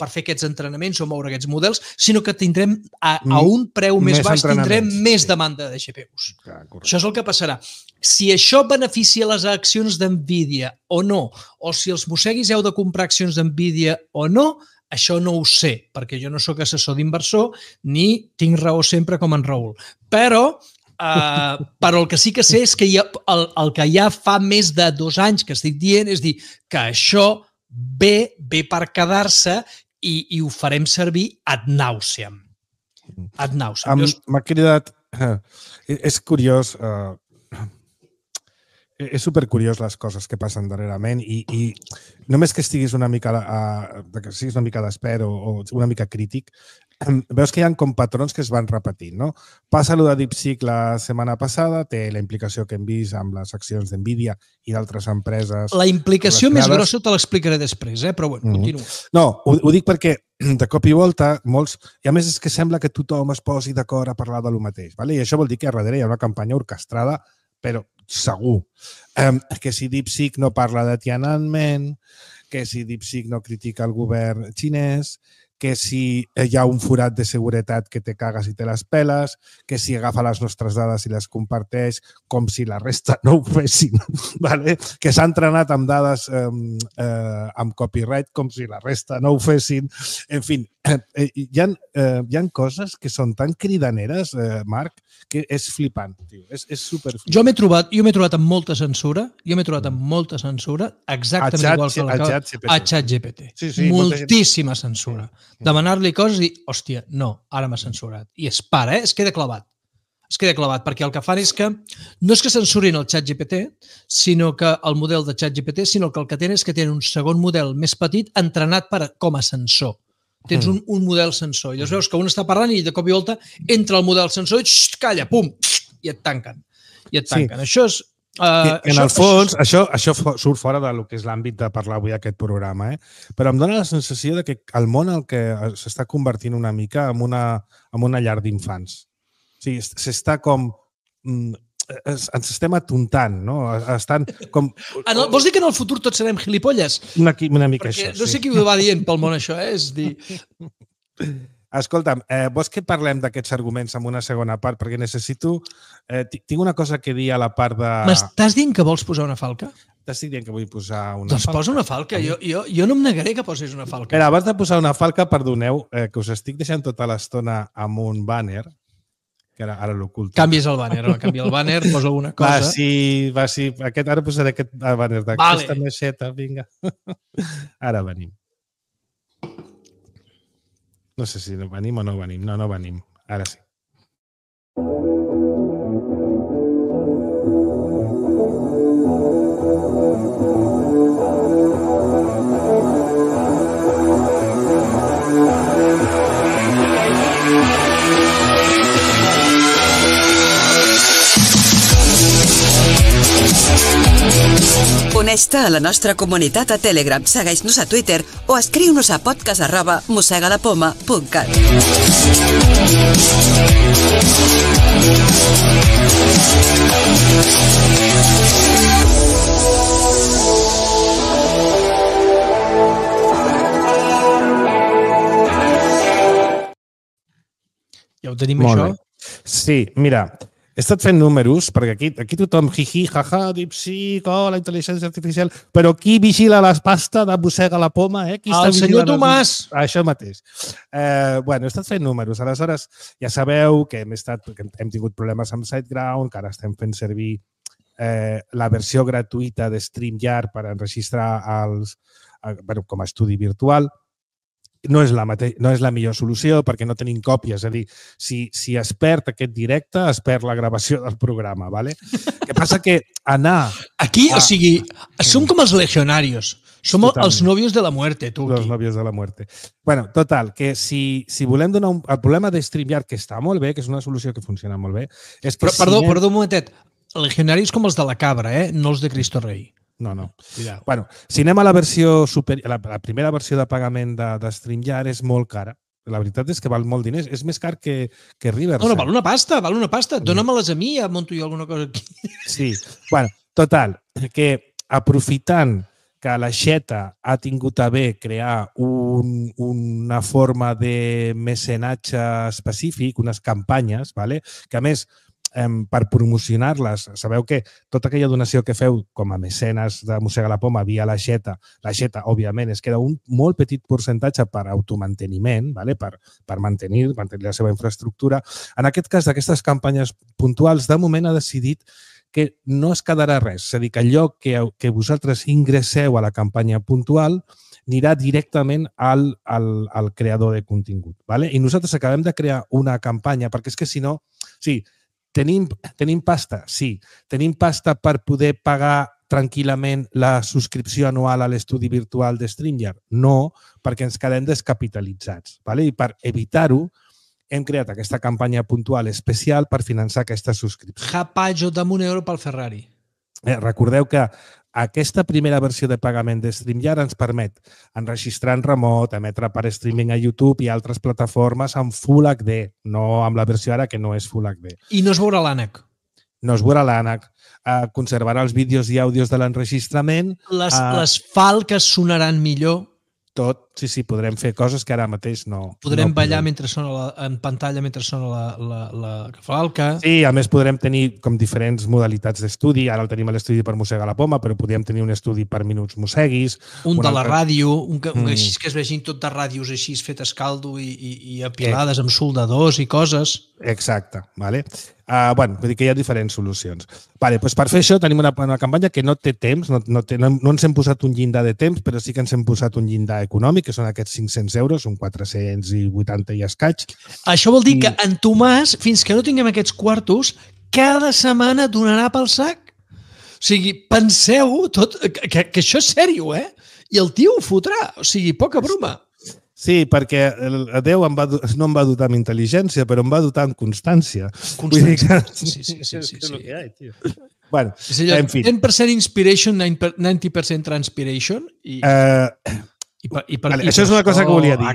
[SPEAKER 3] fer aquests entrenaments o moure aquests models, sinó que tindrem a un preu més baix, tindrem més demanda de GPUs. Això és el que passarà. Si això beneficia les accions d'NVIDIA o no, o si els mosseguis heu de comprar accions d'NVIDIA o no, això no ho sé, perquè jo no sóc assessor d'inversor ni tinc raó sempre com en Raül. Però el que sí que sé és que el que ja fa més de 2 anys que estic dient és dir que això ve per quedar-se i ho farem servir ad nauseam. Ad nauseam.
[SPEAKER 2] M'ha cridat... És curiós... És supercuriós les coses que passen darrerament i només que estiguis una mica d'espert o una mica crític, veus que hi ha com patrons que es van repetint, no? Passa allò de DeepSeek la setmana passada, té la implicació que hem vist amb les accions d'NVIDIA i d'altres empreses.
[SPEAKER 3] La implicació més grossa te l'explicaré després, però bueno, continua.
[SPEAKER 2] No, ho dic perquè de cop i volta molts... I a més és que sembla que tothom es posi d'acord a parlar de lo mateix, i això vol dir que darrere hi ha una campanya orquestrada, però segur. Que si DeepSeek no parla de Tiananmen, que si DeepSeek no critica el govern xinès, que si hi ha un forat de seguretat que te cagues i te les peles, que si agafa les nostres dades i les comparteix com si la resta no ho fessin, que s'ha entrenat amb dades amb copyright com si la resta no ho fessin. En fi, hi ha coses que són tan cridaneres, Marc, que és flipant. És superflipant.
[SPEAKER 3] Jo m'he trobat amb molta censura, exactament igual que a ChatGPT. Moltíssima censura. Demanar-li coses i dir, hòstia, no, ara m'ha censurat. I es para, es queda clavat. Es queda clavat, perquè el que fan és que no és que censurin el ChatGPT, sinó que el model de ChatGPT, sinó que el que tenen és que tenen un segon model més petit entrenat com a sensor. Tens un model sensor. I llavors veus que un està parlant i de cop i volta entra el model sensor i calla, pum, i et tanquen. Això és
[SPEAKER 2] En el fons, això surt fora del que és l'àmbit de parlar avui aquest programa, però em dóna la sensació de que el món el que s'està convertint una mica en una llar d'infants. O sigui, s'està com... ens estem atontant, no? Estan com...
[SPEAKER 3] Vols dir que en el futur tots serem gilipolles?
[SPEAKER 2] Una mica
[SPEAKER 3] perquè
[SPEAKER 2] això,
[SPEAKER 3] no sé qui ho va dient pel món això, és dir...
[SPEAKER 2] Escolta'm, vols que parlem d'aquests arguments en una segona part? Perquè necessito... tinc una cosa que dir a la part de...
[SPEAKER 3] M'estàs dient que vols posar una falca?
[SPEAKER 2] T'estic dient que vull posar una
[SPEAKER 3] falca. Doncs posa una falca. Jo no em negaré que posis una falca.
[SPEAKER 2] Espera, abans de posar una falca, perdoneu, que us estic deixant tota l'estona amb un banner, que ara l'oculto.
[SPEAKER 3] Canvies el banner, canvia el banner, posa alguna cosa.
[SPEAKER 2] Va, sí. Ara posaré aquest banner d'aquesta naixeta, vinga. Ara venim. No sé si venim o no venim. No venim. Ara sí.
[SPEAKER 4] Uneix-te a la nostra comunitat a Telegram, segueix-nos a Twitter o escriu-nos a podcast@mossegalapoma.cat.
[SPEAKER 3] Ja ho tenim, això?
[SPEAKER 2] Sí, mira, he estat fent números, perquè aquí tothom, jiji, jaja, DeepSeek, la intel·ligència artificial, però qui vigila la pasta de Mossega la Poma?
[SPEAKER 3] El senyor Tomàs!
[SPEAKER 2] Això mateix. He estat fent números. Aleshores, ja sabeu que hem tingut problemes amb SiteGround, que ara estem fent servir la versió gratuïta de StreamYard per enregistrar com a estudi virtual. No és la millor solució perquè no tenim còpies. És a dir, si es perd aquest directe, es perd la gravació del programa. ¿Vale? Que passa que anar...
[SPEAKER 3] Aquí, o sigui, som com els legionarios. Som els novios de la muerte, tu.
[SPEAKER 2] Els novios de la muerte. Bueno, total, que si volem donar el problema de StreamYard, que està molt bé, que és una solució que funciona molt bé...
[SPEAKER 3] Perdó, un momentet. Legionaris com els de la cabra, no els de Cristo Rei.
[SPEAKER 2] No. Bueno, si anem a la versió la primera versió de pagament de StreamYard és molt cara. La veritat és que val molt diners. És més car que Riverside.
[SPEAKER 3] No, val una pasta. Dóna-me-les a mi, ja monto jo alguna cosa aquí.
[SPEAKER 2] Sí. Bueno, total, que aprofitant que la Xeta ha tingut a bé crear una forma de mecenatge específic, unes campanyes, que a més per promocionar-les, sabeu que tota aquella donació que feu com a mecenes de Mossega la Poma via la Xeta, òbviament, es queda un molt petit percentatge per automanteniment, per mantenir la seva infraestructura. En aquest cas, d'aquestes campanyes puntuals, de moment ha decidit que no es quedarà res. És a dir, que allò que vosaltres ingresseu a la campanya puntual anirà directament al creador de contingut. I nosaltres acabem de crear una campanya, perquè és que si no... Sí, tenim pasta? Sí. Tenim pasta per poder pagar tranquil·lament la subscripció anual a l'estudi virtual de StreamYard? No, perquè ens quedem descapitalitzats. I per evitar-ho, hem creat aquesta campanya puntual especial per finançar aquesta subscripció.
[SPEAKER 3] Japajo, dame €1 pel Ferrari.
[SPEAKER 2] Recordeu que aquesta primera versió de pagament de StreamYard ens permet enregistrar en remot, emetre per streaming a YouTube i altres plataformes en Full HD, no amb la versió ara que no és Full HD.
[SPEAKER 3] I no es veurà l'ànec.
[SPEAKER 2] No es veurà l'ànec. Conservarà els vídeos i àudios de l'enregistrament.
[SPEAKER 3] Les falques sonaran millor.
[SPEAKER 2] Tot, sí, podrem fer coses que ara mateix no...
[SPEAKER 3] Podrem ballar mentre sona en pantalla mentre sona la falca.
[SPEAKER 2] Sí, a més podrem tenir com diferents modalitats d'estudi. Ara el tenim a l'estudi per Mossega la Poma, però podríem tenir un estudi per Minuts Mosseguis.
[SPEAKER 3] Un de la ràdio, així que es vegin tot de ràdios així fetes caldo i apilades amb soldadors i coses.
[SPEAKER 2] Exacte, vale? Vull dir que hi ha diferents solucions. Doncs per fer això tenim una campanya que no té temps, no ens hem posat un llindar de temps, però sí que ens hem posat un llindar econòmic, que són aquests 500 euros, són 480 i escaig.
[SPEAKER 3] Això vol dir que en Tomàs, fins que no tinguem aquests quartos, cada setmana donarà pel sac. O sigui, penseu tot, que això és sèrio, I el tio ho fotrà. O sigui, poca broma.
[SPEAKER 2] Sí, perquè Déu no em va dotar amb intel·ligència, però em va dotar amb constància.
[SPEAKER 3] Constància. Sí.
[SPEAKER 2] És el que hi ha, tio. Bueno,
[SPEAKER 3] en fi. 10% inspiration, 90% transpiration.
[SPEAKER 2] Això és una cosa que volia dir.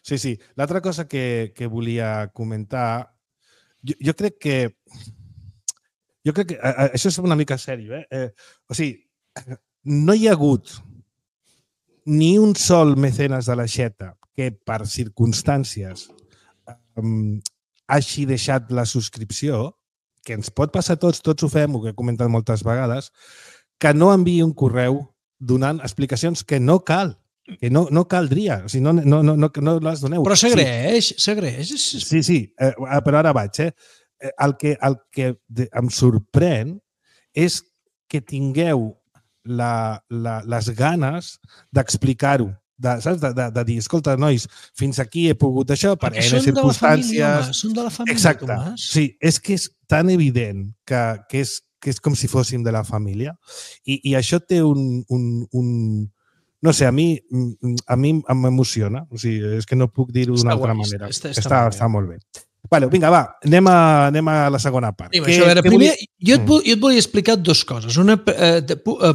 [SPEAKER 2] Sí. L'altra cosa que volia comentar, jo crec que això és una mica sèrio. O sigui, no hi ha hagut ni un sol mecenes de l'aixeta que per circumstàncies hagi deixat la subscripció, que ens pot passar a tots ho fem, ho que he comentat moltes vegades, que no enviï un correu donant explicacions que no cal, que no caldria, o sigui, no les doneu.
[SPEAKER 3] Però s'agraeix.
[SPEAKER 2] Sí, però ara vaig. El que em sorprèn és que tingueu les ganes d'explicar-ho, de dir, escolta, nois, fins aquí he pogut això per N circumstàncies.
[SPEAKER 3] Són de la família,
[SPEAKER 2] exacte.
[SPEAKER 3] Tomàs.
[SPEAKER 2] Sí, és que és tan evident que és com si fóssim de la família i això té no sé, a mi m'emociona. O sigui, és que no puc dir-ho d'una altra manera. Està molt bé. Bueno, vinga, va, anem a la segona part.
[SPEAKER 3] Primer, jo et volia explicar dues coses.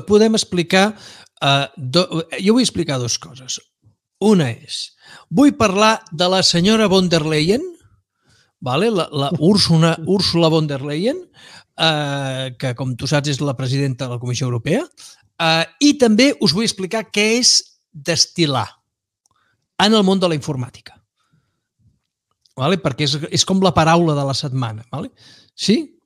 [SPEAKER 3] Podem explicar... Jo vull explicar dues coses. Una és, vull parlar de la senyora von der Leyen, la Ursula von der Leyen, que, com tu saps, és la presidenta de la Comissió Europea, i també us vull explicar què és destil·lar en el món de la informàtica. Perquè és com la paraula de la setmana. Sí?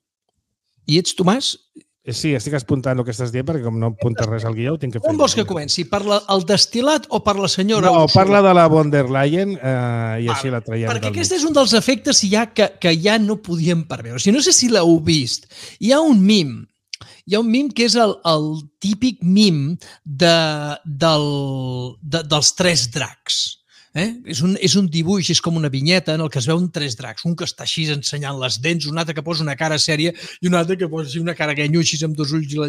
[SPEAKER 3] I ets, Tomàs?
[SPEAKER 2] Sí, estic apuntant el que estàs dient perquè com no apuntes res al guió ho tinc que fer.
[SPEAKER 3] On vols que comenci? Per el destil·lat o per la senyora?
[SPEAKER 2] No, parla de la von der Leyen i així la traiem.
[SPEAKER 3] Perquè aquest és un dels efectes que ja no podíem preveure. O sigui, no sé si l'heu vist. Hi ha un mim que és el típic mim dels tres dracs. És un dibuix, és com una vinyeta en el que es veuen tres dracs, un que està així ensenyant les dents, un altre que posa una cara sèria i un altre que posa una cara guenyo així amb dos ulls i la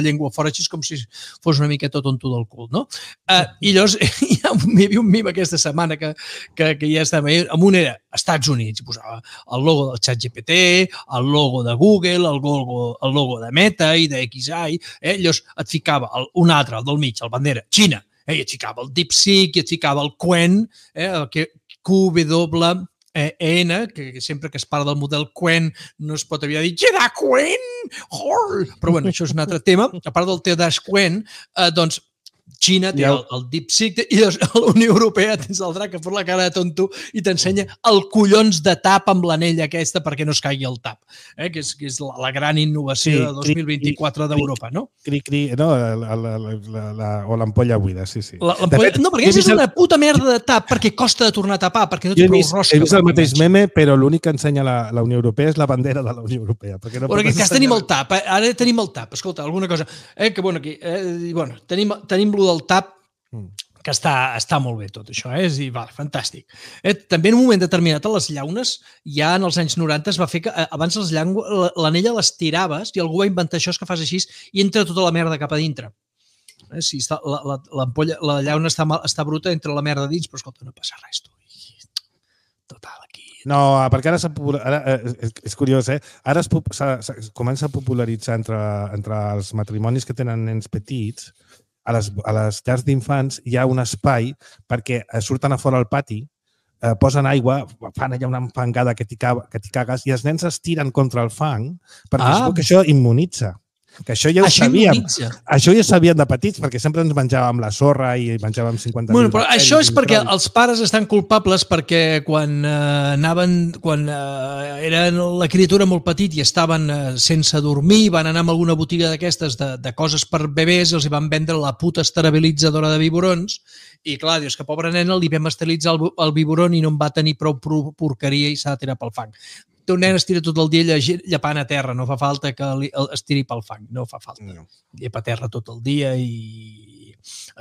[SPEAKER 3] llengua fora, així com si fos una miqueta tonto del cul, no? I llavors hi havia un mim aquesta setmana que ja estava, amb un era Estats Units, i posava el logo del ChatGPT, el logo de Google, el logo de Meta i de XAI, llavors et ficava un altre, el del mig, el bandera, Xina, i et ficava el DeepSeek, i et ficava el Qwen, QWEN, que sempre que es parla del model Qwen no es pot haver dit Jedi Qwen! Però bueno, això és un altre tema. A part del T-Dash Qwen, doncs Xina té el DeepSeek i la Unió Europea tens el drac que fot la cara de tonto i t'ensenya el collons de tap amb l'anella aquesta perquè no es caigui el tap, que és la gran innovació de 2024 d'Europa, no?
[SPEAKER 2] O l'ampolla buida, sí.
[SPEAKER 3] No, perquè és una puta merda de tap perquè costa de tornar a tapar, perquè no té prou rosca.
[SPEAKER 2] He vist el mateix meme, però l'únic que ensenya la Unió Europea és la bandera de la Unió Europea.
[SPEAKER 3] Perquè en aquest cas tenim el tap, ara tenim el tap. Escolta, alguna cosa, que bueno, aquí, tenim lo del tap, que està molt bé tot això, és dir, fantàstic. També en un moment determinat a les llaunes, ja en els anys 90 es va fer que abans l'anella les tiraves i algú va inventar això que fas així i entra tota la merda cap a dintre. Si la llauna està bruta, entra la merda dins, però escolta, no passa res, tu. Total, aquí...
[SPEAKER 2] No, perquè ara és curiós, ara comença a popularitzar entre els matrimonis que tenen nens petits. A les llars d'infants hi ha un espai perquè surten a fora al pati, posen aigua, fan allà una fangada que t'hi cagues i els nens es tiren contra el fang perquè es veu que això immunitza. Que això ja ho sabíem. Això ja ho sabíem de petits, perquè sempre ens menjàvem la sorra i menjàvem 50.000 bacteris.
[SPEAKER 3] Però això és perquè els pares estan culpables perquè quan eren la criatura molt petit i estaven sense dormir, van anar a alguna botiga d'aquestes de coses per bebès i els van vendre la puta esterilitzadora de biberons i clar, dius que pobra nena li vam esterilitzar el biberon i no en va tenir prou porqueria i s'ha de tirar pel fang. Un nen es tira tot el dia llepant a terra, no fa falta que es tiri pel fang, no fa falta. Llepa a terra tot el dia i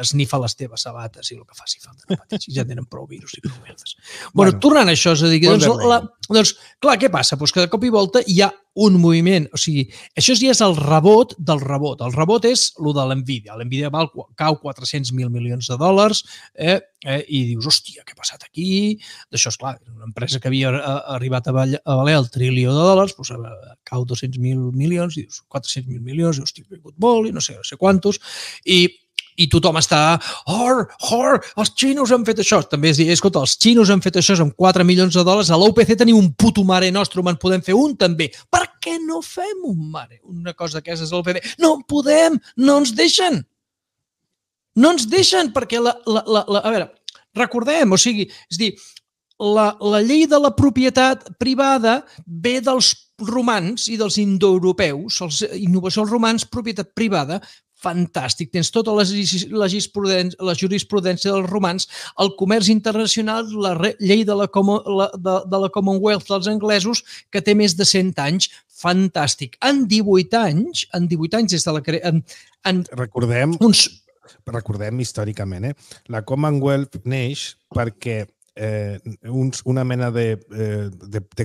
[SPEAKER 3] esnifa les teves sabates i el que faci falta. No pateixis, ja tenen prou virus i prou merdes. Bueno, tornant a això, és a dir, doncs, clar, què passa? Doncs que de cop i volta hi ha un moviment, o sigui, això ja és el rebot del rebot. El rebot és el de l'Nvidia. L'Nvidia cau 400.000 milions de dòlars i dius, hòstia, què ha passat aquí? D'això, esclar, una empresa que havia arribat a valer el trilió de dòlars, doncs cau 200.000 milions i dius, 400.000 milions, i hòstia, ha caigut molt i no sé quantos, i tothom està, els xinos han fet això. També és dir, escolta, els xinos han fet això amb 4 milions de dòlars, a l'OPC tenim un puto Mare Nostrum, en podem fer un també. Per què no fem un Mare? Una cosa d'aquestes és l'OPC. No podem, no ens deixen. No ens deixen, perquè a veure, recordem, o sigui, és dir, la llei de la propietat privada ve dels romans i dels indoeuropeus, innovació als romans, propietat privada, fantàstic, tens tota la jurisprudència dels romans, el comerç internacional, la llei de la Commonwealth dels anglesos, que té més de 100 anys, fantàstic. En 18 anys des de la...
[SPEAKER 2] Recordem històricament, la Commonwealth neix perquè una mena de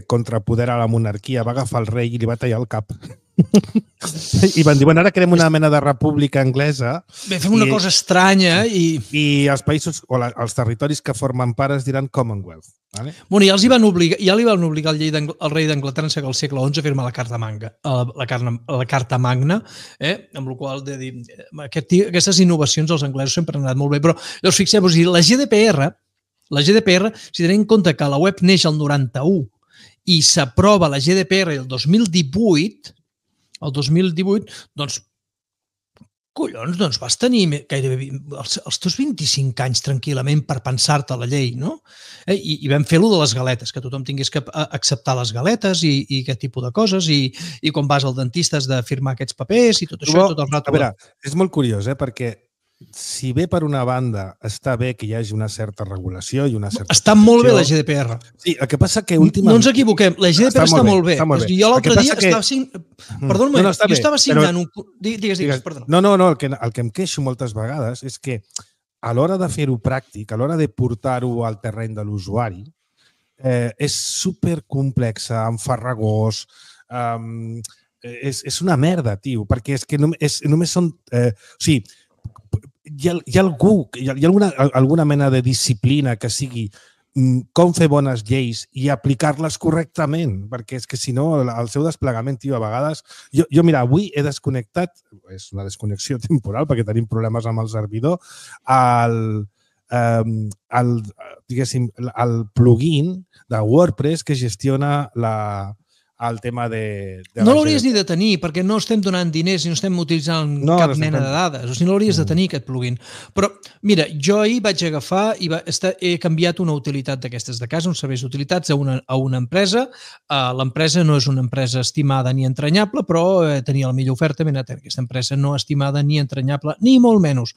[SPEAKER 2] contrapoder a la monarquia va agafar el rei i li va tallar el cap. I van dir, bueno, ara creem una mena de república anglesa.
[SPEAKER 3] Bé, fem una cosa estranya i
[SPEAKER 2] els països o els territoris que formen part es diran Commonwealth. Vale?
[SPEAKER 3] Bueno, ja li van obligar el rei d'Anglaterra en el segle XI a firmar la Carta Magna, amb la qual de dir, aquestes innovacions els anglesos sempre han anat molt bé, però llavors fixeu-vos, la GDPR, si tenim en compte que la web neix el 91 i s'aprova la GDPR el 2018, doncs, collons, doncs vas tenir gairebé els teus 25 anys tranquil·lament per pensar-te la llei, no? I vam fer-lo de les galetes, que tothom tingués que acceptar les galetes i aquest tipus de coses, i quan vas al dentista has de firmar aquests papers i tot això.
[SPEAKER 2] A veure, és molt curiós, perquè si bé per una banda està bé que hi hagi una certa regulació i una certa...
[SPEAKER 3] Està molt bé la GDPR.
[SPEAKER 2] Sí, el que passa que últimament...
[SPEAKER 3] No ens equivoquem, la GDPR està molt bé. Jo l'altre dia estava signant... Perdona, jo estava signant un... Digues, perdona.
[SPEAKER 2] No, el que em queixo moltes vegades és que a l'hora de fer-ho pràctic, a l'hora de portar-ho al terreny de l'usuari, és supercomplexa, enfarragós, és una merda, tio, perquè és que només són... O sigui, hi ha alguna mena de disciplina que sigui com fer bones lleis i aplicar-les correctament, perquè és que si no, el seu desplegament, tio, a vegades... Jo, mira, avui he desconnectat, és una desconnexió temporal perquè tenim problemes amb el servidor, el plugin de WordPress que gestiona el tema de...
[SPEAKER 3] No l'hauries ni de tenir, perquè no estem donant diners i no estem utilitzant cap mena de dades. O sigui, no l'hauries de tenir, aquest plugin. Però, mira, jo ahir vaig agafar i he canviat una utilitat d'aquestes de casa, uns serveis d'utilitats a una empresa. L'empresa no és una empresa estimada ni entranyable, però tenia la millor oferta. Aquesta empresa no estimada ni entranyable, ni molt menys.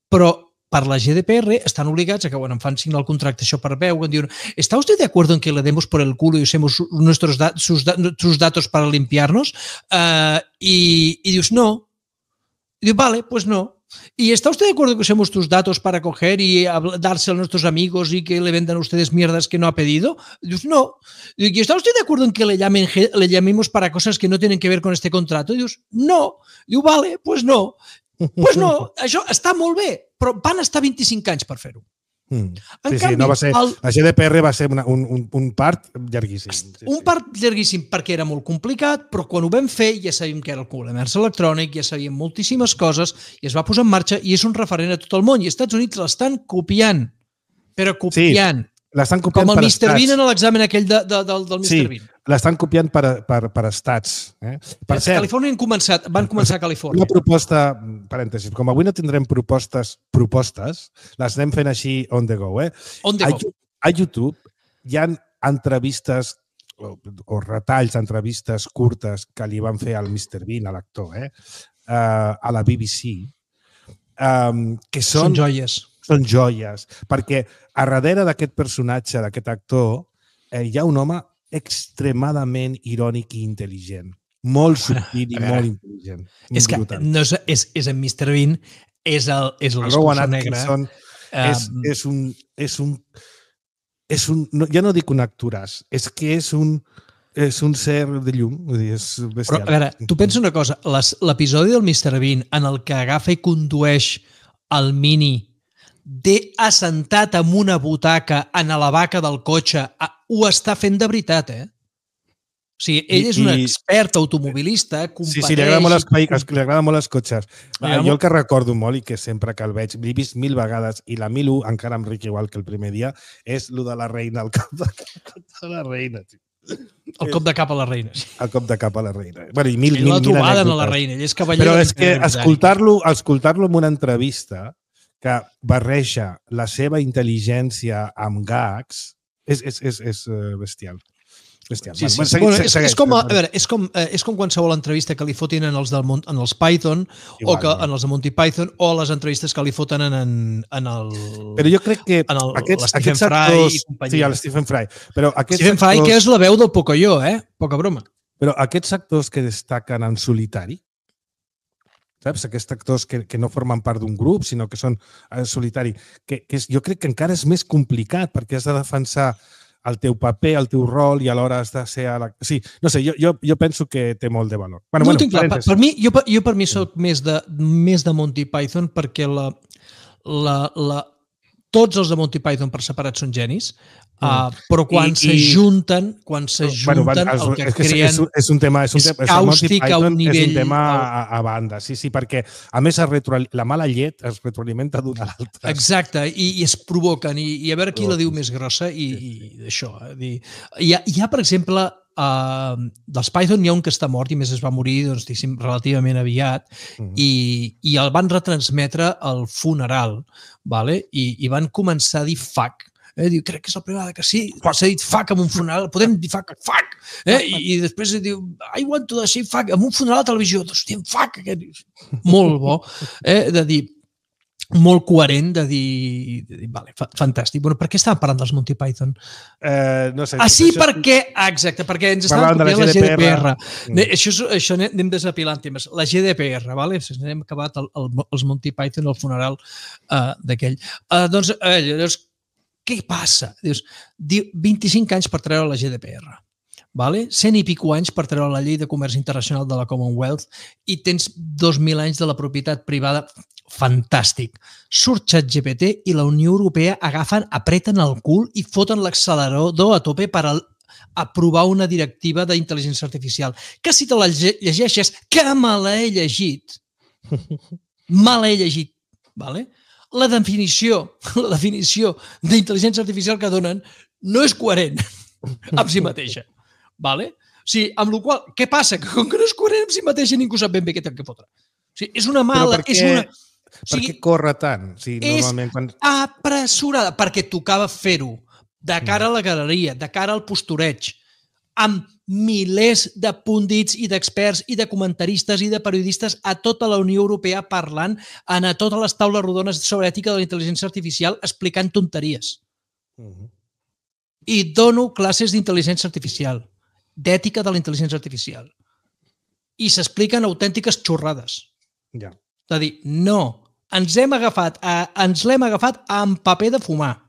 [SPEAKER 3] Però per la GDPR están obligats a que, bueno, em fan signar el contracte això per veu, diuen, ¿está usted de acuerdo en que le demos por el culo y usemos sus datos para limpiarnos? Y dius, no. Y dius, vale, pues no. ¿Y está usted de acuerdo en que usemos tus datos para coger y darse a nuestros amigos y que le vendan a ustedes mierdas que no ha pedido? Y dius, no. ¿Y está usted de acuerdo en que le llamemos para cosas que no tienen que ver con este contrato? Y dius, no. Y diu, vale, pues no. Pues no, això està molt bé, però van estar 25 anys per fer-ho.
[SPEAKER 2] No va ser... La GDPR va ser un part llarguíssim.
[SPEAKER 3] Un part llarguíssim perquè era molt complicat, però quan ho vam fer ja sabíem que era el comerç electrònic, ja sabíem moltíssimes coses i es va posar en marxa i és un referent a tot el món i els Estats Units l'estan copiant, però copiant.
[SPEAKER 2] L'estan copiant
[SPEAKER 3] com el Mr. Bean en l'examen aquell del Mr. Bean.
[SPEAKER 2] L'estan copiant per estats. Per cert,
[SPEAKER 3] Califòrnia van començar a Califòrnia.
[SPEAKER 2] Una proposta, parèntesis, com avui no tindrem propostes, les anem fent així on the go.
[SPEAKER 3] On the go.
[SPEAKER 2] A YouTube hi ha entrevistes o retalls d'entrevistes curtes que li van fer al Mr. Bean, a l'actor, a la BBC, que són
[SPEAKER 3] joies.
[SPEAKER 2] Són joies, perquè a darrere d'aquest personatge, d'aquest actor, hi ha un home extremadament irònic i intel·ligent. Molt subtil i molt intel·ligent.
[SPEAKER 3] És que és en Mr. Bean és
[SPEAKER 2] Rowan
[SPEAKER 3] l'escurçó negre.
[SPEAKER 2] Atkinson és un, ja no dic un actoràs, és que és un ser de llum, vull dir, és bestial.
[SPEAKER 3] Però, a veure, tu pensa una cosa, l'episodi del Mr. Bean en el que agafa i condueix el Mini assentat en una butaca en la vaca del cotxe, ho està fent de veritat, O sigui, ell és un expert automobilista, competeix...
[SPEAKER 2] Sí, li agrada molt els cotxes. Jo el que recordo molt i que sempre que el veig, l'he vist 1000 vegades i la 1001 encara em ric igual que el primer dia, és el de la reina, el cop de la reina.
[SPEAKER 3] El cop de cap a la reina.
[SPEAKER 2] El cop de cap a la reina. Bueno, i mil
[SPEAKER 3] la trobada
[SPEAKER 2] anècdotes.
[SPEAKER 3] a la reina, ell és cavaller.
[SPEAKER 2] Però és que escoltar-lo en una entrevista que barreja la seva intel·ligència amb gags és bestial.
[SPEAKER 3] Sí. Bueno, és com qualsevol entrevista que li fotin en els Python o que en els de Monty Python o les entrevistes que li foten en el...
[SPEAKER 2] Però jo crec que
[SPEAKER 3] Stephen Fry i companyia.
[SPEAKER 2] Sí, el Stephen Fry.
[SPEAKER 3] Stephen Fry, que és la veu del Pocoyo, Poca broma.
[SPEAKER 2] Però aquests actors que destaquen en solitari, saps? Aquests actors que no formen part d'un grup, sinó que són solitari, jo crec que encara és més complicat perquè has de defensar el teu paper, el teu rol i alhora has de ser... Sí, no sé, jo penso que té molt de valor.
[SPEAKER 3] No ho tinc clar. Per mi soc més de Monty Python perquè tots els de Monty Python per separat són genis, però quan s'ajunten el que creen
[SPEAKER 2] és un tema
[SPEAKER 3] càustic a un nivell...
[SPEAKER 2] És un tema a banda, sí, perquè a més la mala llet es retroalimenta d'una a l'altra.
[SPEAKER 3] Exacte, i es provoquen, i a veure qui la diu més grossa, i d'això. Hi ha, per exemple, dels Python hi ha un que està mort i més es va morir relativament aviat i el van retransmetre al funeral i van començar a dir fuck. Diu, crec que és la primera que sí, s'ha dit fuck en un funeral, podem dir fuck, i després diu, I want to say fuck, en un funeral a televisió, hòstia, fuck, molt bo, de dir, molt coherent, de dir, vale, fantàstic. Bueno, per què estàvem parlant dels Monty Python?
[SPEAKER 2] No sé.
[SPEAKER 3] Sí, exacte, perquè ens estàvem copiant la GDPR. Això anem desapilant temes. La GDPR, hem acabat els Monty Python al funeral d'aquell. Doncs, què passa? Dius, 25 anys per treure la GDPR. 100 i pico anys per treure la llei de comerç internacional de la Commonwealth i tens 2.000 anys de la propietat privada. Fantàstic. Surt ChatGPT i la Unió Europea apreten el cul i foten l'accelerador a tope per aprovar una directiva d'intel·ligència artificial. Que si te la llegeixes, que me l'he llegit, la definició d'intel·ligència artificial que donen no és coherent amb si mateixa. O sigui, amb la qual cosa, què passa? Que com que no és coherent amb si mateixa ningú sap ben bé què té que fotre. O sigui, és una mala...
[SPEAKER 2] Per què corre tant?
[SPEAKER 3] És apressurada, perquè tocava fer-ho de cara a la galeria, de cara al postureig, amb milers de pundits i d'experts i de comentaristes i de periodistes a tota la Unió Europea parlant a totes les taules rodones sobre ètica de la intel·ligència artificial explicant tonteries. I dono classes d'intel·ligència artificial, d'ètica de la intel·ligència artificial. I s'expliquen autèntiques xorrades. És a dir, no, ens l'hem agafat amb paper de fumar.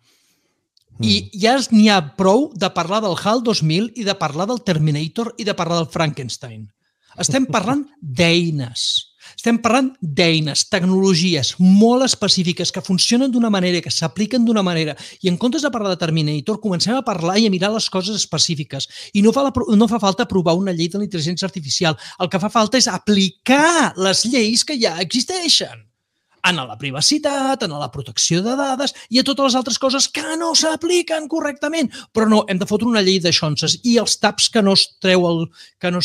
[SPEAKER 3] I ja n'hi ha prou de parlar del HAL 2000 i de parlar del Terminator i de parlar del Frankenstein. Estem parlant d'eines. Estem parlant d'eines, tecnologies molt específiques que funcionen d'una manera, que s'apliquen d'una manera. I en comptes de parlar de Terminator, comencem a parlar i a mirar les coses específiques. I no fa falta aprovar una llei de la intel·ligència artificial. El que fa falta és aplicar les lleis que ja existeixen. En la privacitat, en la protecció de dades i a totes les altres coses que no s'apliquen correctament. Però no, hem de fotre una llei de xonses i els taps que no es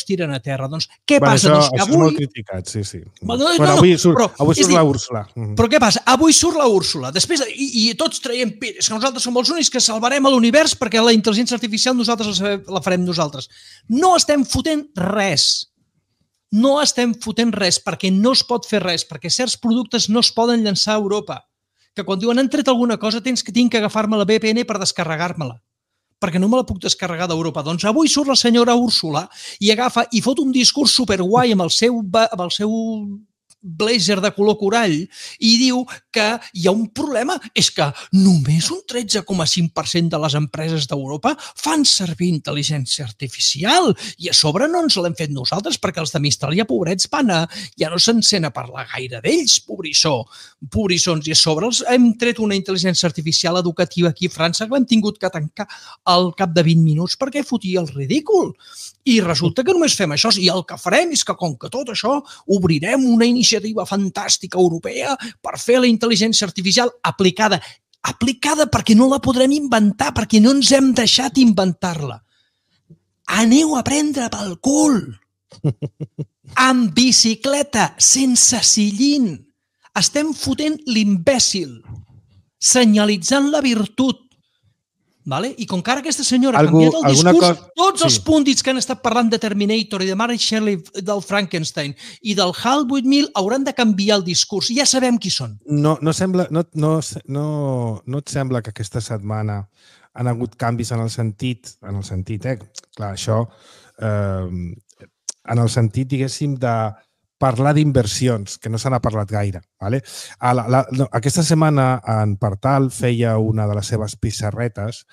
[SPEAKER 3] tiren a terra. Doncs què passa?
[SPEAKER 2] Això és molt criticat, sí. Avui surt la Úrsula.
[SPEAKER 3] Però què passa? Avui surt la Úrsula. Després, i tots traiem pilles, que nosaltres som els únics que salvarem l'univers perquè la intel·ligència artificial nosaltres la farem nosaltres. No estem fotent res. No estem fotent res perquè no es pot fer res, perquè certs productes no es poden llançar a Europa. Que quan diuen han tret alguna cosa tinc que agafar-me la VPN per descarregar-me-la, perquè no me la puc descarregar d'Europa. Doncs avui surt la senyora Úrsula i agafa i fot un discurs superguai amb el seu blazer de color corall i diu que hi ha un problema, és que només un 13,5% de les empreses d'Europa fan servir intel·ligència artificial i a sobre no ens l'hem fet nosaltres perquè els de Mistral ja pobrets ja no se'n sent a parlar gaire d'ells, pobrissons, i a sobre els hem tret una intel·ligència artificial educativa aquí a França que l'hem tingut que tancar al cap de 20 minuts perquè fotia el ridícul. I resulta que només fem això i el que farem és que, com que tot això, obrirem una iniciativa fantàstica europea per fer la intel·ligència artificial aplicada perquè no la podrem inventar, perquè no ens hem deixat inventar-la. Aneu a prendre pel cul! Amb bicicleta, sense sillín. Estem fotent l'imbècil, senyalitzant la virtut. Vale? I com que ara aquesta senyora ha canviat el discurs, tots els púndits que han estat parlant de Terminator i de Mary Shelley del Frankenstein i del HAL 8000 hauran de canviar el discurs. Ja sabem qui són.
[SPEAKER 2] No et sembla que aquesta setmana han hagut canvis en el sentit, clar, això, en el sentit, diguéssim, de parlar d'inversions, que no se n'ha parlat gaire. Vale? Aquesta setmana en Partal feia una de les seves pissarretes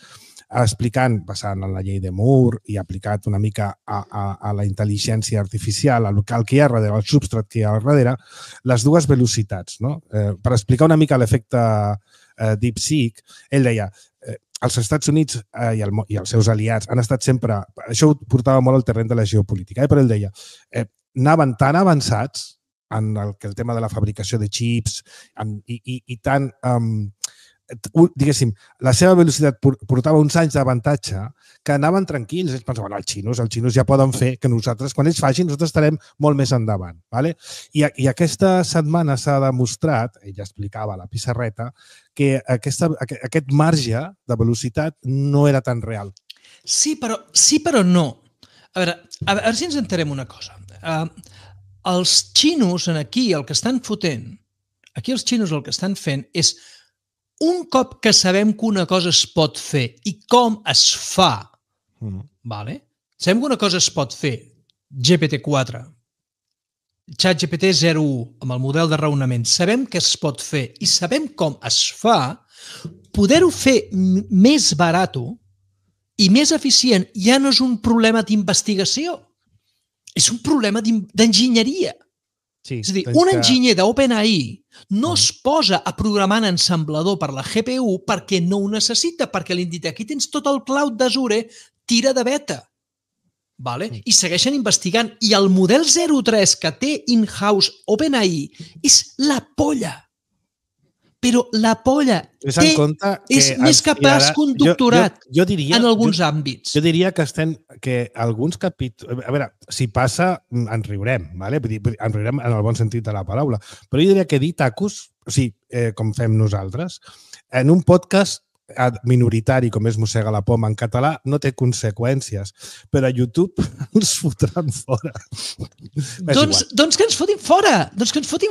[SPEAKER 2] explicant, basant en la llei de Moore i aplicat una mica a la intel·ligència artificial, al que hi ha darrere, al substrat que hi ha darrere, les dues velocitats. No? Per explicar una mica l'efecte DeepSeek, ell deia els Estats Units i els seus aliats han estat sempre... Això ho portava molt al terreny de la geopolítica, però ell deia anaven tan avançats en el tema de la fabricació de xips i tan... diguéssim, la seva velocitat portava uns anys d'avantatge que anaven tranquils. Ells pensaven, els xinos ja poden fer que nosaltres, quan ells facin, nosaltres estarem molt més endavant. Vale? I aquesta setmana s'ha demostrat, ella explicava a la pissarreta, que aquest marge de velocitat no era tan real.
[SPEAKER 3] Sí, però no. A veure si ens entenem una cosa. Els xinos aquí el que estan fotent, els xinos el que estan fent és un cop que sabem que una cosa es pot fer i com es fa, vale? Sabem que una cosa es pot fer, GPT-4, ChatGPT 0.1, amb el model de raonament, sabem que es pot fer i sabem com es fa, poder-ho fer més barat i més eficient ja no és un problema d'investigació, és un problema d'enginyeria.
[SPEAKER 2] Sí,
[SPEAKER 3] és a dir, un enginyer d'OpenAI no es posa a programar en ensamblador per la GPU perquè no ho necessita, perquè li han dit aquí tens tot el cloud d'Azure, tira de beta. Vale? I segueixen investigant. I el model 03 que té in-house OpenAI és la polla. Però la polla és més capaç que un doctorat en alguns àmbits.
[SPEAKER 2] Jo diria que alguns capítols... A veure, si passa, ens riurem, ¿vale? Ens riurem en el bon sentit de la paraula. Però jo diria que dir tacos, o sigui, com fem nosaltres, en un podcast minoritari com és Mossega la Poma en català, no té conseqüències. Però a YouTube ens fotran fora.
[SPEAKER 3] Doncs que ens fotin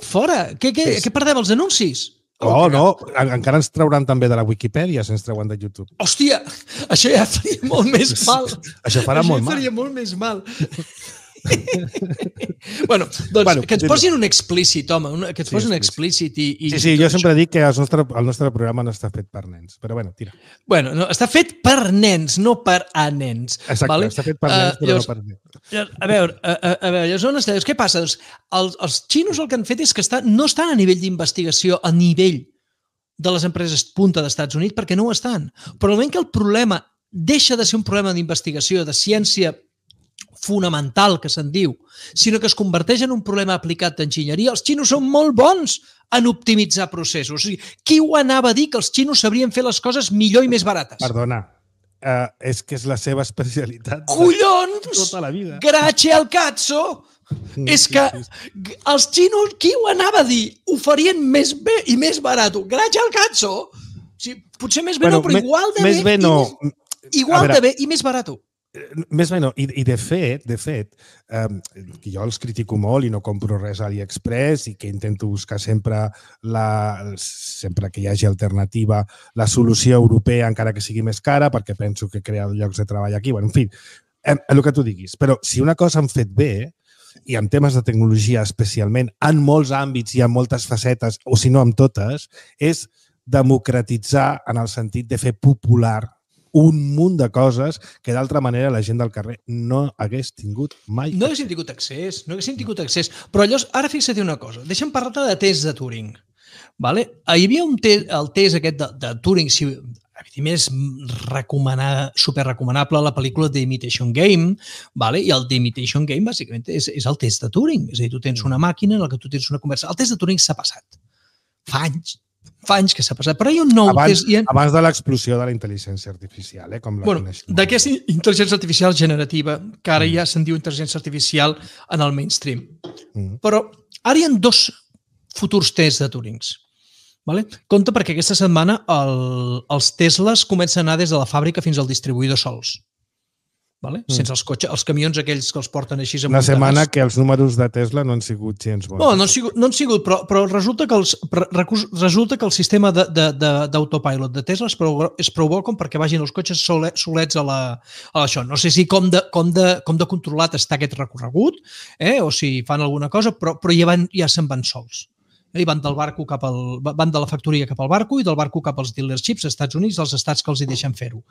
[SPEAKER 3] fora! Què perdem, els anuncis?
[SPEAKER 2] No, encara ens trauran també de la Wikipedia si ens treuen de YouTube.
[SPEAKER 3] Hòstia, això ja faria molt més mal.
[SPEAKER 2] Això farà molt mal.
[SPEAKER 3] Això faria molt més mal. Bueno, doncs que ens posin un explícit, home, que ens posin un explícit i...
[SPEAKER 2] Sí, jo sempre dic que el nostre programa no està fet per nens, però bueno, tira.
[SPEAKER 3] Bueno, està fet per nens, no per a nens.
[SPEAKER 2] Exacte, està fet per nens, però no per nens.
[SPEAKER 3] A veure, llavors, què passa? Doncs els xinos el que han fet és que no estan a nivell d'investigació, a nivell de les empreses punta d'Estats Units, perquè no ho estan. Però al moment que el problema deixa de ser un problema d'investigació, de ciència fonamental, que se'n diu, sinó que es converteix en un problema aplicat d'enginyeria, els xinos són molt bons en optimitzar processos. O sigui, qui ho anava a dir que els xinos sabrien fer les coses millor i més barates?
[SPEAKER 2] Perdona, és que és la seva especialitat.
[SPEAKER 3] Collons!
[SPEAKER 2] Tota la vida.
[SPEAKER 3] Grazie al cazzo! És que els xinos, qui ho anava a dir? Ho farien més bé i més barat. Grazie al cazzo! O sigui, potser més bé no, però igual de bé.
[SPEAKER 2] Més bé no.
[SPEAKER 3] Igual de bé i més barat.
[SPEAKER 2] Més bé no. I de fet, que jo els critico molt i no compro res a AliExpress i que intento buscar sempre que hi hagi alternativa, la solució europea encara que sigui més cara, perquè penso que crea llocs de treball aquí. Bueno, en fi, el que tu diguis. Però si una cosa han fet bé i en temes de tecnologia especialment, en molts àmbits i en moltes facetes, o si no en totes, és democratitzar en el sentit de fer popular un munt de coses que d'altra manera la gent del carrer no hagués tingut mai.
[SPEAKER 3] No haguéssim tingut accés, però llavors, ara fixa't una cosa, deixa'm parlar de test de Turing. Vale? Hi havia el test aquest de Turing, si és superrecomanable la pel·lícula The Imitation Game, vale? I el The Imitation Game bàsicament és el test de Turing, és a dir, tu tens una màquina en la que tu tens una conversa. El test de Turing s'ha passat. Fa anys que s'ha passat, però hi ha un nou test...
[SPEAKER 2] Abans de l'explosió de la intel·ligència artificial, com la coneixem.
[SPEAKER 3] D'aquesta intel·ligència artificial generativa, que ara ja se'n diu intel·ligència artificial en el mainstream. Però ara hi ha 2 futurs tests de Turings. Compte perquè aquesta setmana els Teslas comencen a anar des de la fàbrica fins al distribuïdor sols. Sense els camions aquells que els porten així
[SPEAKER 2] una setmana que els números de Tesla no han sigut gens bons.
[SPEAKER 3] No han sigut, però resulta que el sistema d'autopilot de Tesla és prou bo com perquè vagin els cotxes solets a això. No sé si com de controlat està aquest recorregut o si fan alguna cosa, però ja se'n van sols. Van de la factoria cap al barco i del barco cap als dealerships als Estats Units, dels estats que els hi deixen fer-ho.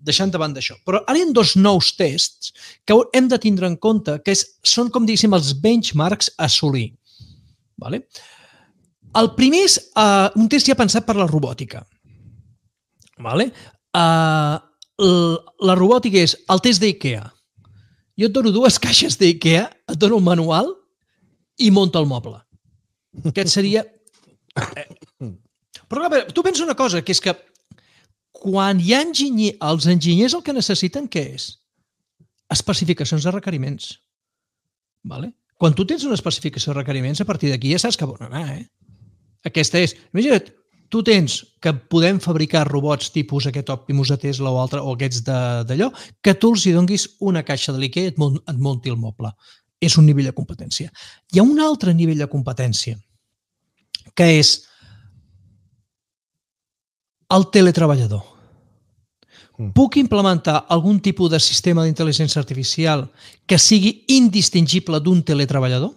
[SPEAKER 3] Deixant de banda això. Però ara hi ha 2 nous tests que hem de tindre en compte, que són, com diguéssim, els benchmarks a assolir. El primer és un test ja pensat per la robòtica. La robòtica és el test d'IKEA. Jo et dono 2 caixes d'IKEA, et dono un manual i munta el moble. Aquest seria... Però tu pensa una cosa, que és que quan hi ha els enginyers el que necessiten, què és? Especificacions de requeriments. Quan tu tens una especificació de requeriments, a partir d'aquí ja saps cap on anar. Aquesta és... Imagina't, tu tens que podem fabricar robots tipus aquest Optimus de Tesla o altre, o aquests d'allò, que tu els hi donguis una caixa de l'IKEA i et munti el moble. És un nivell de competència. Hi ha un altre nivell de competència, que és el teletreballador. Puc implementar algun tipus de sistema d'intel·ligència artificial que sigui indistingible d'un teletreballador?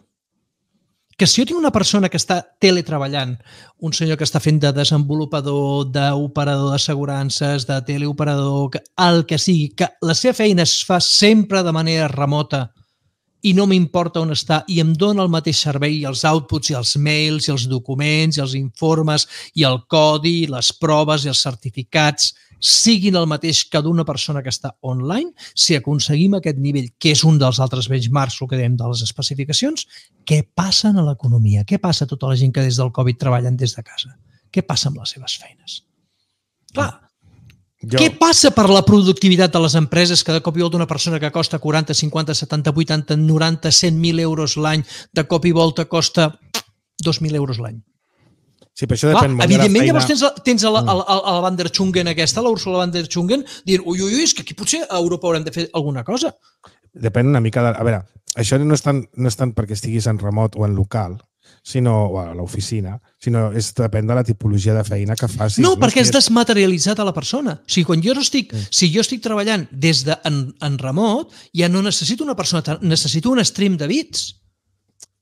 [SPEAKER 3] Que si jo tinc una persona que està teletreballant, un senyor que està fent de desenvolupador, d'operador d'assegurances, de teleoperador, el que sigui, que la seva feina es fa sempre de manera remota i no m'importa on està i em dona el mateix servei, els outputs i els mails i els documents i els informes i el codi i les proves i els certificats siguin el mateix que d'una persona que està online, si aconseguim aquest nivell, que és un dels altres benchmarks, el que dèiem de les especificacions, què passa a l'economia? Què passa a tota la gent que des del Covid treballen des de casa? Què passa amb les seves feines? Clar, què passa per la productivitat de les empreses que de cop i volta una persona que costa 40, 50, 70, 80, 90, 100.000 euros l'any, de cop i volta costa 2.000 euros l'any?
[SPEAKER 2] Sí, però això depèn molt de la
[SPEAKER 3] evidentment,
[SPEAKER 2] feina.
[SPEAKER 3] llavors tens la Van der Schungen aquesta, la Ursula Van der Schungen, dient, ui, és que aquí potser a Europa haurem de fer alguna cosa.
[SPEAKER 2] Depèn una mica de... A veure, això no és tant perquè estiguis en remot o en local, o a l'oficina, sinó depèn de la tipologia de feina que facis.
[SPEAKER 3] No, perquè és desmaterialitzat a la persona. O sigui, quan si jo estic treballant des en remot, ja no necessito una persona, necessito un stream de bits.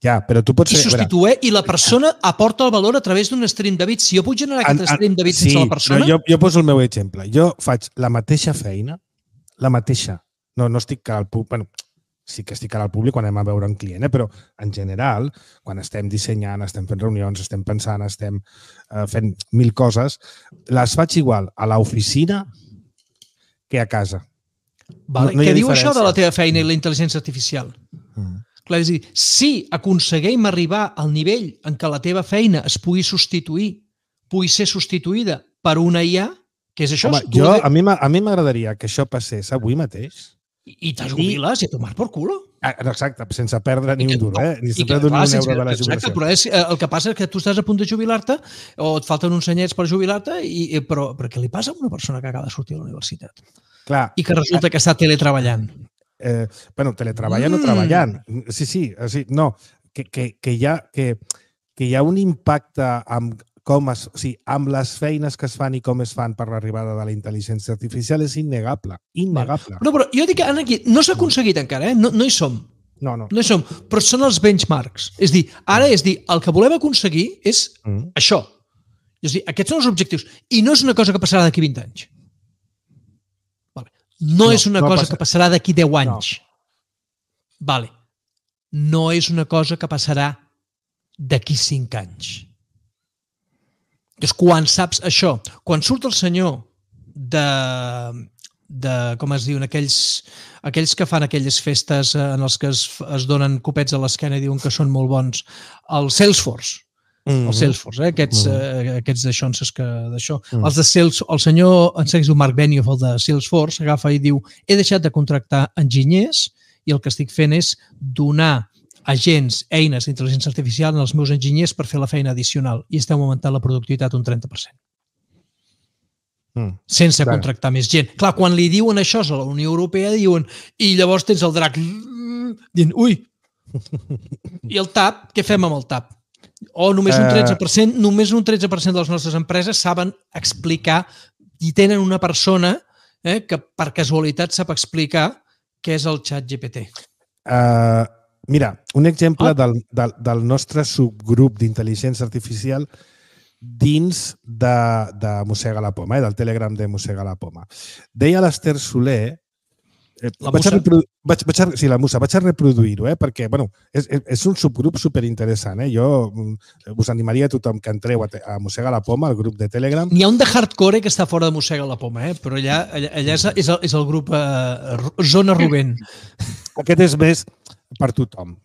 [SPEAKER 2] Ja, però tu pots fer...
[SPEAKER 3] I la persona aporta el valor a través d'un stream de bits. Si jo puc generar aquest stream de bits sense la persona...
[SPEAKER 2] Sí, jo poso el meu exemple. Jo faig la mateixa feina, la mateixa. No estic al públic... Bueno, sí que estic al públic quan anem a veure un client, però en general, quan estem dissenyant, estem fent reunions, estem pensant, estem fent 1000 coses, les faig igual a l'oficina que a casa.
[SPEAKER 3] Què diu això de la teva feina i la intel·ligència artificial? Clar, és a dir, si aconseguim arribar al nivell en què la teva feina es pugui ser substituïda per una IA, què és això?
[SPEAKER 2] Home, a mi m'agradaria que això passés avui mateix.
[SPEAKER 3] I te jubiles i a tomar por culo.
[SPEAKER 2] Exacte, sense perdre ni un duro, ni sense perdre ni un euro de la jubilació.
[SPEAKER 3] Però el que passa és que tu estàs a punt de jubilar-te o et falten uns anyets per jubilar-te, però què li passa a una persona que acaba de sortir de la universitat?
[SPEAKER 2] Clar.
[SPEAKER 3] I que resulta que està teletreballant.
[SPEAKER 2] Teletreballant o treballant. Sí, no, que hi ha un impacte amb les feines que es fan i com es fan per l'arribada de la intel·ligència artificial és innegable. Innegable.
[SPEAKER 3] Però jo dic que aquí no s'ha aconseguit encara, no hi som.
[SPEAKER 2] No.
[SPEAKER 3] No hi som, però són els benchmarks. És dir, ara el que volem aconseguir és això. És dir, aquests són els objectius. I no és una cosa que passarà d'aquí 20 anys. No és una cosa que passarà d'aquí 10 anys. Vale. No és una cosa que passarà d'aquí 5 anys. Llavors, quan saps això, quan surt el senyor com es diuen, aquells que fan aquelles festes en els que es donen copets a l'esquena i diuen que són molt bons, el Salesforce, aquests d'aixonses d'això. Els de Salesforce, el senyor, em sembla que es diu Mark Benioff, el de Salesforce, agafa i diu, he deixat de contractar enginyers i el que estic fent és donar agents, eines d'intel·ligència artificial als meus enginyers per fer la feina addicional i estem augmentant la productivitat un 30%. Sense contractar més gent. Clar, quan li diuen això a la Unió Europea, diuen, i llavors tens el drac dient, ui, i el TAP, què fem amb el TAP? O només un 13%, només un 13% de les nostres empreses saben explicar i tenen una persona que per casualitat sap explicar què és el xat GPT.
[SPEAKER 2] Mira, un exemple del nostre subgrup d'intel·ligència artificial dins de Mossega la Poma, del Telegram de Mossega la Poma. Deia l'Ester Soler...
[SPEAKER 3] La Musa?
[SPEAKER 2] Sí, la Musa. Vaig a reproduir-ho, perquè és un subgrup superinteressant. Jo us animaria a tothom que entreu a Mossega la Poma, al grup de Telegram.
[SPEAKER 3] N'hi ha un de hardcore que està fora de Mossega la Poma, però allà és el grup Zona Rubén.
[SPEAKER 2] Aquest és més per tothom.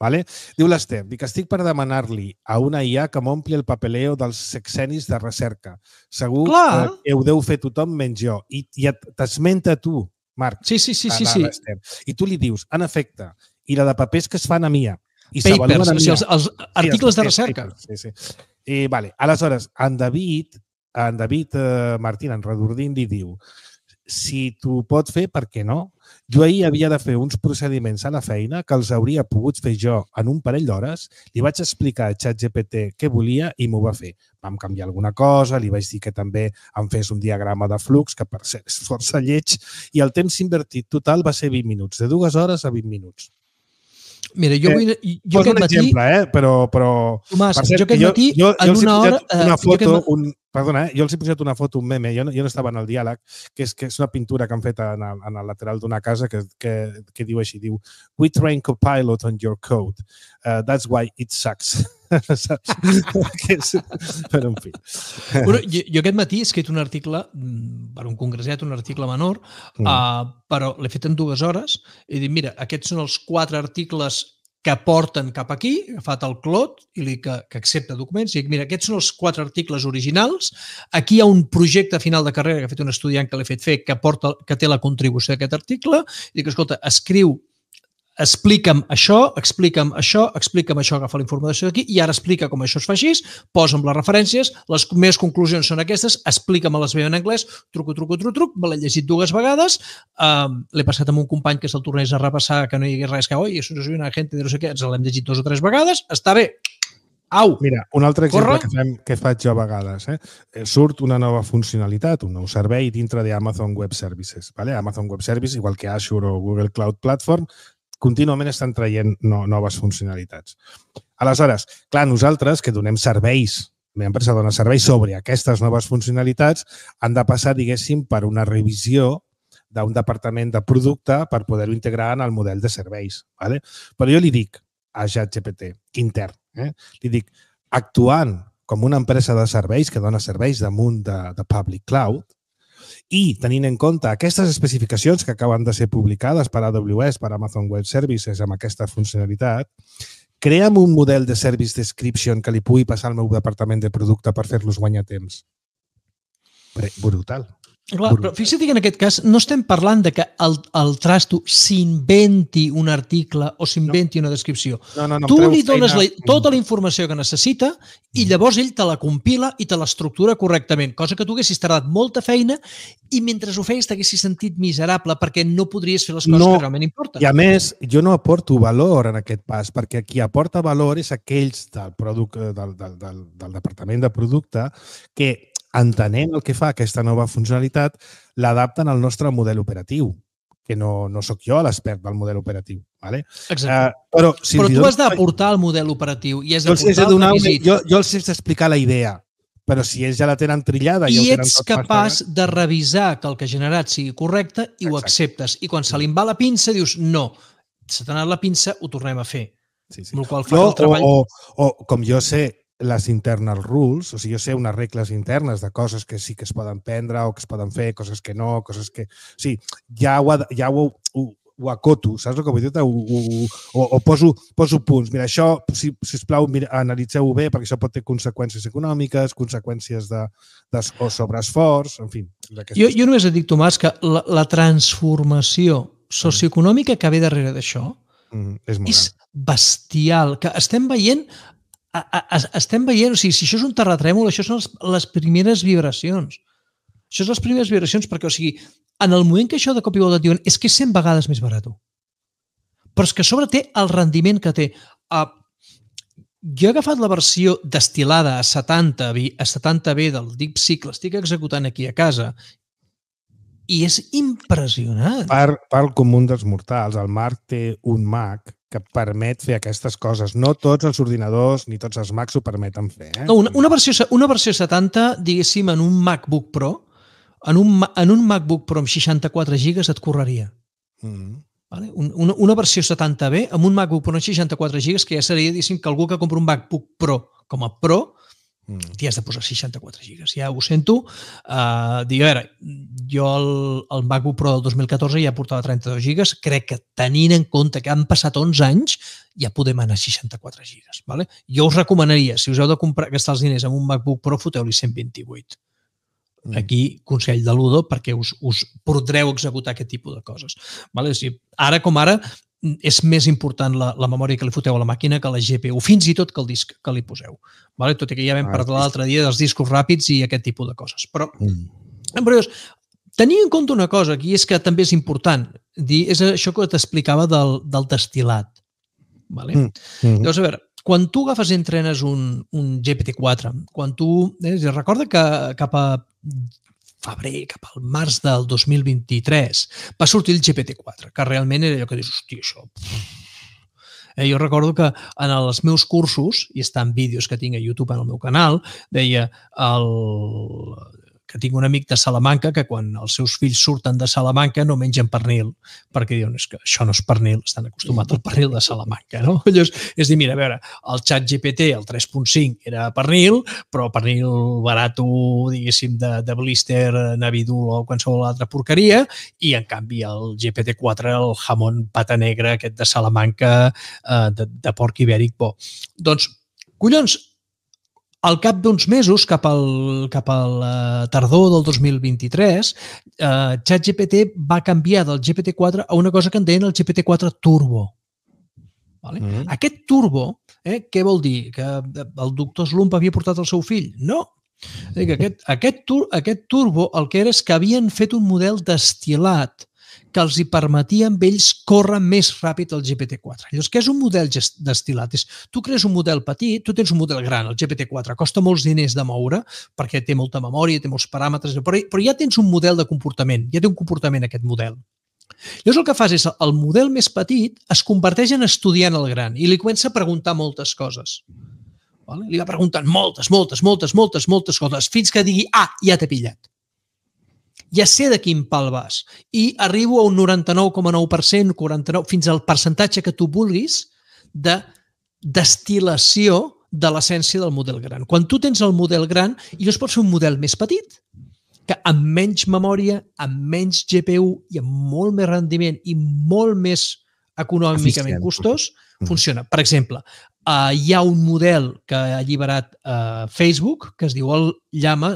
[SPEAKER 2] Diu l'Ester, dic, estic per demanar-li a una IA que m'ompli el papeleo dels sexenis de recerca. Segur que ho deu fer tothom menys jo. I t'esmenta tu, Marc.
[SPEAKER 3] Sí.
[SPEAKER 2] I tu li dius, en efecte, i la de papers que es fan a MIA.
[SPEAKER 3] Papers, o sigui, els articles de recerca.
[SPEAKER 2] Sí. I, aleshores, en David Martín, en Redordín, li diu, si t'ho pot fer, per què no? Jo ahir havia de fer uns procediments a la feina que els hauria pogut fer jo en un parell d'hores, li vaig explicar a ChatGPT què volia i m'ho va fer. Vam canviar alguna cosa, li vaig dir que també em fes un diagrama de flux, que per ser és força lleig, i el temps invertit total va ser 20 minuts, de 2 hores a 20 minuts.
[SPEAKER 3] Mira, jo aquest matí...
[SPEAKER 2] exemple, però...
[SPEAKER 3] Tomàs, jo aquest matí, en una hora...
[SPEAKER 2] Perdona, jo els he posat una foto, un meme, jo no estava en el diàleg, que és una pintura que han fet en el lateral d'una casa que diu així, diu "We train Copilot on your code. That's why it sucks." Però, en fi.
[SPEAKER 3] Jo aquest matí he escrit un article per un congressat, un article menor, però l'he fet en 2 hores i he dit, mira, aquests són els 4 articles que porten cap aquí, he agafat el Claude i li que accepta documents i dic, mira, aquests són els 4 articles originals, aquí hi ha un projecte final de carrera que ha fet un estudiant que l'he fet fer que té la contribució d'aquest article i dic, escolta, explica'm això, agafa la informació d'aquí i ara explica com això es fa així, posa'm les referències, les meves conclusions són aquestes, explica'm-les bé en anglès, truc, me l'he llegit 2 vegades, l'he passat amb un company que se'l tornés a repassar, que no hi hagués res que, oi, això no és una gent de no sé què, ens l'hem llegit 2 o 3 vegades, està bé. Au!
[SPEAKER 2] Mira, un altre exemple que faig jo a vegades. Surt una nova funcionalitat, un nou servei dintre d'Amazon Web Services. Amazon Web Services, igual que Azure o Google Cloud Platform, contínuament estan traient noves funcionalitats. Aleshores, clar, nosaltres que donem serveis, la meva empresa dona serveis sobre aquestes noves funcionalitats, han de passar, diguéssim, per una revisió d'un departament de producte per poder-ho integrar en el model de serveis. Però jo li dic a ChatGPT, intern, li dic, actuant com una empresa de serveis que dona serveis damunt de Public Cloud, i tenint en compte aquestes especificacions que acaben de ser publicades per AWS, per Amazon Web Services, amb aquesta funcionalitat, crea'm un model de Service Description que li pugui passar al meu departament de producte per fer-los guanyar temps. Brutal.
[SPEAKER 3] Clar, però fixa't que en aquest cas no estem parlant de que el trasto s'inventi un article o s'inventi una descripció. Tu li dones tota la informació que necessita i llavors ell te la compila i te l'estructura correctament, cosa que tu haguessis tardat molta feina i mentre ho feies t'haguessis sentit miserable perquè no podries fer les coses que realment importen.
[SPEAKER 2] I a més, jo no aporto valor en aquest pas, perquè qui aporta valor és aquells del departament de producte que entenent el que fa aquesta nova funcionalitat, l'adapten al nostre model operatiu, que no sóc jo l'expert del model operatiu. Vale?
[SPEAKER 3] Exacte.
[SPEAKER 2] Però
[SPEAKER 3] tu has d'aportar el model operatiu i has d'aportar el requisit.
[SPEAKER 2] Jo els he d'explicar la idea, però si ells ja la tenen trillada
[SPEAKER 3] i
[SPEAKER 2] ja ho tenen
[SPEAKER 3] ets
[SPEAKER 2] tot
[SPEAKER 3] capaç
[SPEAKER 2] mastegat,
[SPEAKER 3] de revisar que el que ha generat sigui correcte i ho acceptes. I quan se li en va la pinça dius no, se t'ha anat la pinça, ho tornem a fer.
[SPEAKER 2] Sí.
[SPEAKER 3] Amb el qual fa que el treball...
[SPEAKER 2] O com jo sé les internal rules, o sigui, jo sé unes regles internes de coses que sí que es poden prendre o que es poden fer, coses que no, coses que... O sigui, ja ho acoto, saps el que vull dir? O poso punts. Mira, això, sisplau, analitzeu-ho bé perquè això pot tenir conseqüències econòmiques, conseqüències de sobreesforç, en fi.
[SPEAKER 3] Jo només et dic, Tomàs, que la transformació socioeconòmica que ve darrere d'això és bestial, que estem veient, o sigui, si això és un terratrèmol, això són les primeres vibracions. Això són les primeres vibracions perquè, o sigui, en el moment que això de cop i volta et diuen és que és 100 vegades més barat. Però és que a sobre té el rendiment que té. Jo he agafat la versió destil·lada a 70B del DeepSeek, l'estic executant aquí a casa, i és impressionant.
[SPEAKER 2] Per comú dels mortals, el Marc té un Mac que permet fer aquestes coses. No tots els ordinadors ni tots els Macs ho permeten fer.
[SPEAKER 3] No, una versió 70, diguéssim, en un MacBook Pro, en un MacBook Pro amb 64 gigas et correria. Vale? Una versió 70B amb un MacBook Pro amb 64 gigas, que ja seria, diguéssim, que algú que compra un MacBook Pro com a Pro t'hi has de posar 64 gigas. Ja ho sento. Dic, a veure, jo el MacBook Pro del 2014 ja portava 32 gigas. Crec que tenint en compte que han passat 11 anys, ja podem anar a 64 gigas. Vale? Jo us recomanaria, si us heu de gastar els diners en un MacBook Pro, foteu-li 128. Aquí, consell de l'Udo, perquè us podreu executar aquest tipus de coses. Vale? O sigui, ara com ara, és més important la memòria que li foteu a la màquina que la GPU, fins i tot que el disc que li poseu. Vale? Tot i que ja vam parlar l'altre dia dels discos ràpids i aquest tipus de coses. Però tenir en compte una cosa aquí és que també és important. És això que t'explicava del destil·lat. Vale? Llavors, a veure, quan tu agafes i entrenes un GPT-4, quan tu... Recorda que cap a febrer, cap al març del 2023, va sortir el GPT-4, que realment era allò que dius, hòstia, això... Jo recordo que en els meus cursos, i està en vídeos que tinc a YouTube en el meu canal, deia que tinc un amic de Salamanca que quan els seus fills surten de Salamanca no mengen pernil, perquè diuen que això no és pernil, estan acostumats al pernil de Salamanca, no? Llavors, és dir, mira, a veure, el ChatGPT, el 3.5, era pernil, però pernil barato, diguéssim, de blister, navidul o qualsevol altra porqueria, i en canvi el GPT-4, el jamón pata negra, aquest de Salamanca, de porc ibèric bo. Doncs, collons, al cap d'uns mesos, cap al tardor del 2023, ChatGPT va canviar del GPT-4 a una cosa que en deien el GPT-4 Turbo. Vale? Aquest Turbo, què vol dir? Que el doctor Slump havia portat el seu fill? No. Aquest Turbo el que era és que havien fet un model destil·lat que els hi permetia amb ells córrer més ràpid el GPT-4. Llavors, què és un model destil·lat? Tu crees un model petit, tu tens un model gran, el GPT-4, costa molts diners de moure perquè té molta memòria, té molts paràmetres, però ja tens un model de comportament, ja té un comportament aquest model. Llavors el que fas és el model més petit es converteix en estudiant el gran i li comença a preguntar moltes coses. Li va preguntant moltes coses fins que digui, ja t'he pillat. Ja sé de quin pal vas. I arribo a un 99,9%, 49%, fins al percentatge que tu vulguis de destil·lació de l'essència del model gran. Quan tu tens el model gran, llavors pots fer un model més petit, que amb menys memòria, amb menys GPU i amb molt més rendiment i molt més econòmicament costós, funciona. Per exemple, hi ha un model que ha alliberat Facebook, que es diu el Llama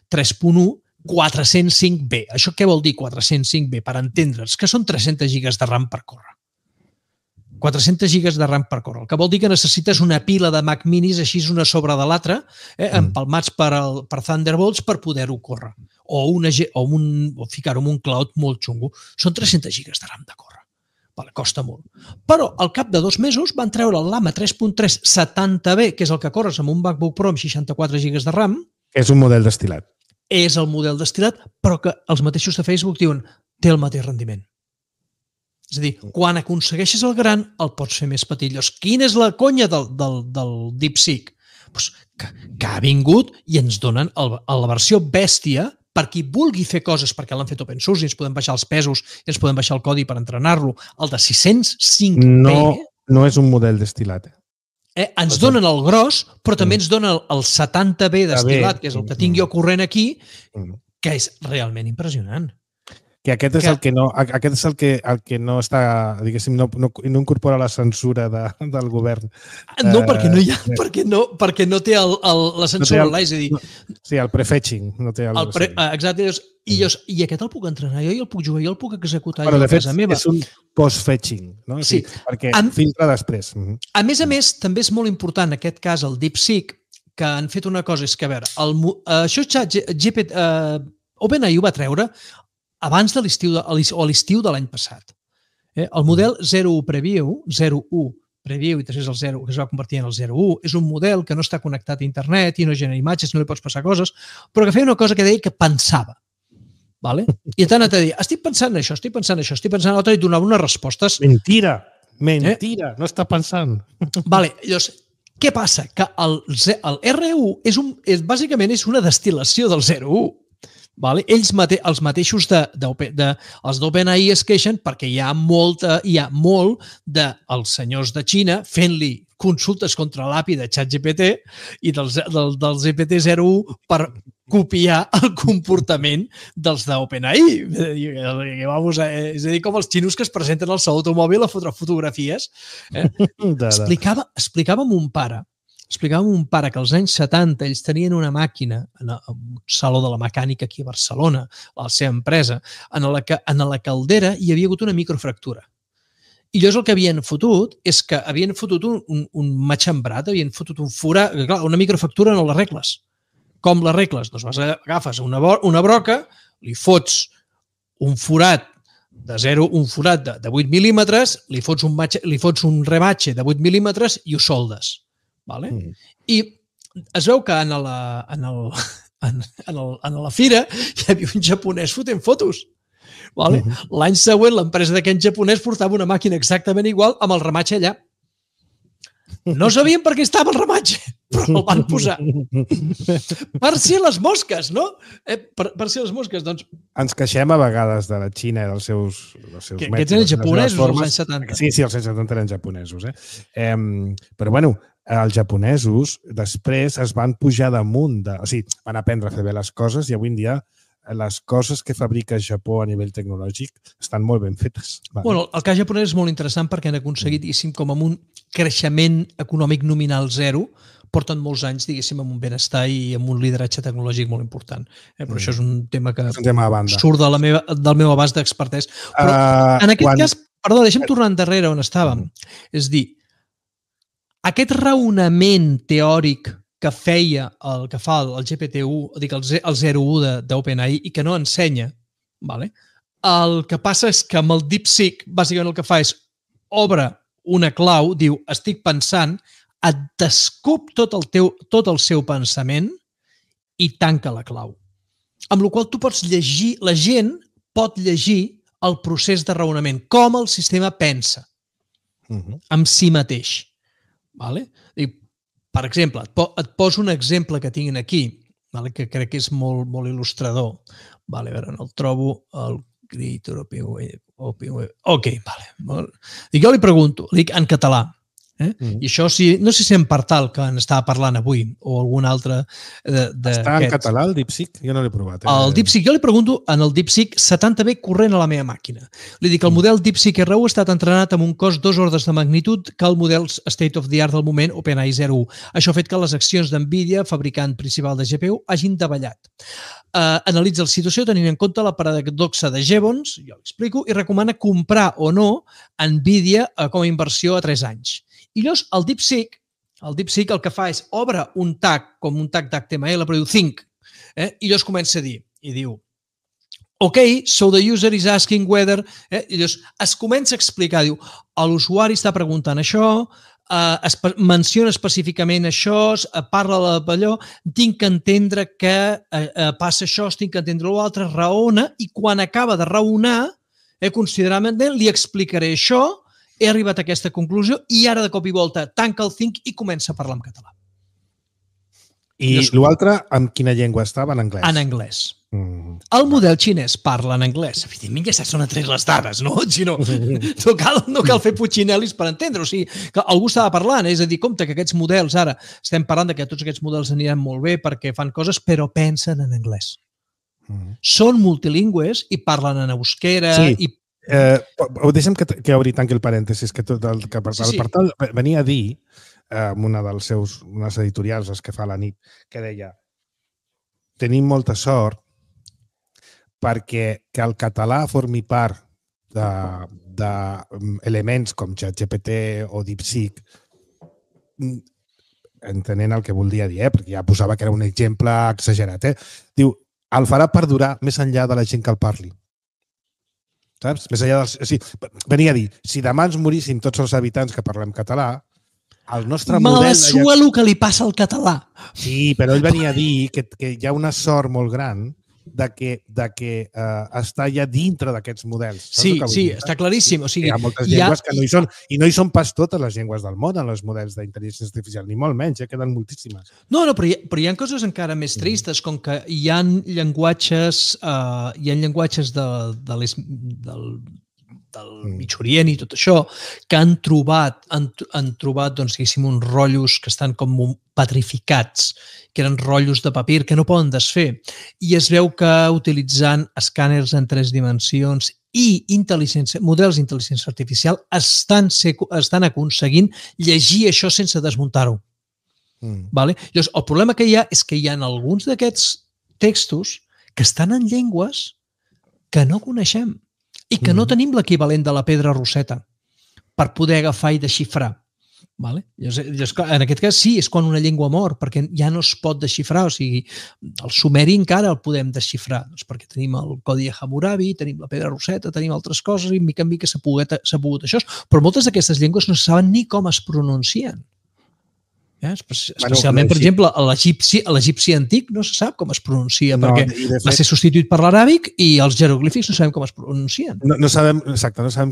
[SPEAKER 3] 3.1, 405B. Això què vol dir 405B? Per entendre'ns, que són 300 gigas de RAM per córrer. 400 gigas de RAM per córrer. El que vol dir que necessites una pila de Mac minis així una sobre de l'altra, empalmats per Thunderbolts per poder-ho córrer. O ficar-ho en un cloud molt xungo. Són 300 gigas de RAM de córrer. Costa molt. Però al cap de 2 mesos van treure el Llama 3.3 70B, que és el que corres amb un MacBook Pro amb 64 gigas de RAM.
[SPEAKER 2] És un model destil·lat.
[SPEAKER 3] És el model destil·lat, però que els mateixos de Facebook diuen té el mateix rendiment. És a dir, quan aconsegueixes el gran, el pots fer més petit. Llavors, quina és la conya del DeepSeek? Pues que ha vingut i ens donen la versió bèstia per qui vulgui fer coses, perquè l'han fet open source i ens podem baixar els pesos i ens podem baixar el codi per entrenar-lo. El de 605p...
[SPEAKER 2] No és un model destilat.
[SPEAKER 3] Ens donen el gros, però també ens donen el 70B destilat, que és el que tinc jo corrent aquí, que és realment impressionant.
[SPEAKER 2] Que aquest és el que no està, diguéssim, no incorpora la censura del govern.
[SPEAKER 3] No, perquè no hi ha, perquè no té la censura online, és a dir...
[SPEAKER 2] Sí, el prefetching. No té
[SPEAKER 3] exacte, i aquest el puc entrenar jo i el puc jugar, jo el puc executar
[SPEAKER 2] jo a casa
[SPEAKER 3] meva.
[SPEAKER 2] És un post-fetching, no?
[SPEAKER 3] Sí.
[SPEAKER 2] Perquè filtra després.
[SPEAKER 3] A més, també és molt important, en aquest cas, el DeepSeek, que han fet una cosa, és que, a veure, això OpenAI ho va treure abans de l'estiu de l'any passat. El model 01 Preview, i després el 0, que es va convertir en el 01, és un model que no està connectat a internet i no genera imatges, no li pots passar coses, però que feia una cosa que deia que pensava. I tant et deia, estic pensant això, l'altre i donava unes respostes.
[SPEAKER 2] Mentira, no està pensant.
[SPEAKER 3] Llavors, què passa? Que el R1 bàsicament és una destil·lació del 01. Els mateixos els d'OpenAI es queixen perquè hi ha molt dels senyors de Xina fent-li consultes contra l'API de ChatGPT i del GPT-01 per copiar el comportament dels d'OpenAI. És a dir, com els xinos que es presenten al seu automòbil a fotre fotografies. Explicava mon pare que als anys 70 ells tenien una màquina en un saló de la mecànica aquí a Barcelona, a la seva empresa, en la caldera hi havia hagut una microfractura. I llavors el que havien fotut és que havien fotut un matxembrat, havien fotut un forat. Clar, una microfractura no l'arregles. Com l'arregles? Doncs agafes una broca, li fots un forat de 8 mil·límetres, li fots un rebatge de 8 mil·límetres i ho soldes. I es veu que en la fira hi havia un japonès fotent fotos. L'any següent l'empresa d'aquest japonès portava una màquina exactament igual amb el rematge allà. No sabien per què estava el rematge, però el van posar. Per si les mosques, no? Per si les mosques, doncs...
[SPEAKER 2] Ens queixem a vegades de la Xina i dels seus
[SPEAKER 3] mètodes. Aquests eren japonesos als anys 70.
[SPEAKER 2] Sí, els anys 70 eren japonesos. Però, bueno, els japonesos després es van pujar damunt, van aprendre a fer bé les coses i avui en dia les coses que fabrica Japó a nivell tecnològic estan molt ben fetes.
[SPEAKER 3] Bueno, el cas japonès és molt interessant perquè han aconseguit, diguéssim, com amb un creixement econòmic nominal zero, porten molts anys, diguéssim, amb un benestar i amb un lideratge tecnològic molt important. Però això és un tema que surt del meu abast d'expertès. Però en aquest cas, perdó, deixa'm tornar endarrere on estàvem. És dir, aquest raonament teòric que fa el GPT-1, dic el 01 d'OpenAI i que no ensenya, el que passa és que amb el DeepSeek bàsicament el que fa és obre una clau, diu estic pensant, et descup tot el seu pensament i tanca la clau. Amb la qual tu pots llegir, la gent pot llegir el procés de raonament, com el sistema pensa amb si mateix. Per exemple, et poso un exemple que tinguin aquí, que crec que és molt il·lustrador. A veure, no el trobo, el Creator Ok, jo li pregunto, en català, i això no sé si en Partal, que n'estava parlant avui, o algun altre d'aquests.
[SPEAKER 2] Està en català el DeepSeek? Jo no l'he provat.
[SPEAKER 3] El DeepSeek, jo li pregunto en el DeepSeek 70B corrent a la meva màquina. Li dic que el model DeepSeek R1 ha estat entrenat amb un cost 2 ordres de magnitud que el model state of the art del moment OpenAI 01. Això ha fet que les accions d'NVIDIA, fabricant principal de GPU, hagin davallat. Analitza la situació tenint en compte la paradoxa de Jevons, jo l'explico, i recomana comprar o no NVIDIA com a inversió a 3 anys. I llavors el DeepSeek el que fa és obre un tag, com un tag d'HTML, però diu think, i llavors comença a dir, i diu, ok, so the user is asking whether, i llavors es comença a explicar, diu, l'usuari està preguntant això, menciona específicament això, parla d'allò, tinc que entendre que passa això, tinc que entendre l'altre, raona, i quan acaba de raonar, Consideradament, li explicaré això, he arribat a aquesta conclusió i ara de cop i volta tanca el Think i comença a parlar en català.
[SPEAKER 2] I l'altre, amb quina llengua estava? En anglès?
[SPEAKER 3] En anglès. El model xinès parla en anglès. Evidentment ja saps on han tret les dades, no? Si no cal fer putxinelis per entendre. O sigui, que algú estava parlant, és a dir, compte que aquests models, ara estem parlant que tots aquests models aniran molt bé perquè fan coses, però pensen en anglès. Són multilingües i parlen en euskera.
[SPEAKER 2] Sí, deixa'm que obri tanqui el parèntesis, que tot el Partal venia a dir amb una dels seus unes editorials, les que fa a la nit, que deia: tenim molta sort perquè que el català formi part d'elements com ChatGPT o DeepSeek, entenent el que volia dir, perquè ja posava que era un exemple exagerat. Diu, el farà perdurar més enllà de la gent que el parli. Saps? Més enllà dels... Venia a dir, si demà ens moríssim tots els habitants que parlem català, el nostre model...
[SPEAKER 3] Me la sua el que li passa al català.
[SPEAKER 2] Sí, però ell venia a dir que hi ha una sort molt gran de que està ja dintre d'aquests models.
[SPEAKER 3] Sí, està claríssim. O sigui,
[SPEAKER 2] hi ha moltes llengües que no hi són, i no hi són pas totes les llengües del món en els models d'intel·ligència artificial, ni molt menys, queden moltíssimes.
[SPEAKER 3] No, però hi ha coses encara més tristes, com que hi ha llenguatges del Mig Orient i tot això, que han trobat doncs, diguéssim, uns rotllos que estan com petrificats, que eren rotllos de papir que no poden desfer. I es veu que utilitzant escàners en 3 dimensions i models d'intel·ligència artificial estan aconseguint llegir això sense desmuntar-ho. Llavors, el problema que hi ha és que hi ha alguns d'aquests textos que estan en llengües que no coneixem i que no tenim l'equivalent de la pedra Rosetta per poder agafar i desxifrar. Llavors, en aquest cas sí, és quan una llengua mor, perquè ja no es pot desxifrar. O sigui, el sumeri encara el podem desxifrar, perquè tenim el codi de Hammurabi, tenim la pedra Rosetta, tenim altres coses i mica en mica s'ha pogut això. Però moltes d'aquestes llengües no saben ni com es pronuncien. Especialment, per exemple, l'egipci antic no se sap com es pronuncia perquè va ser substituït per l'arabic i els jeroglífics no sabem com es pronuncien.
[SPEAKER 2] No sabem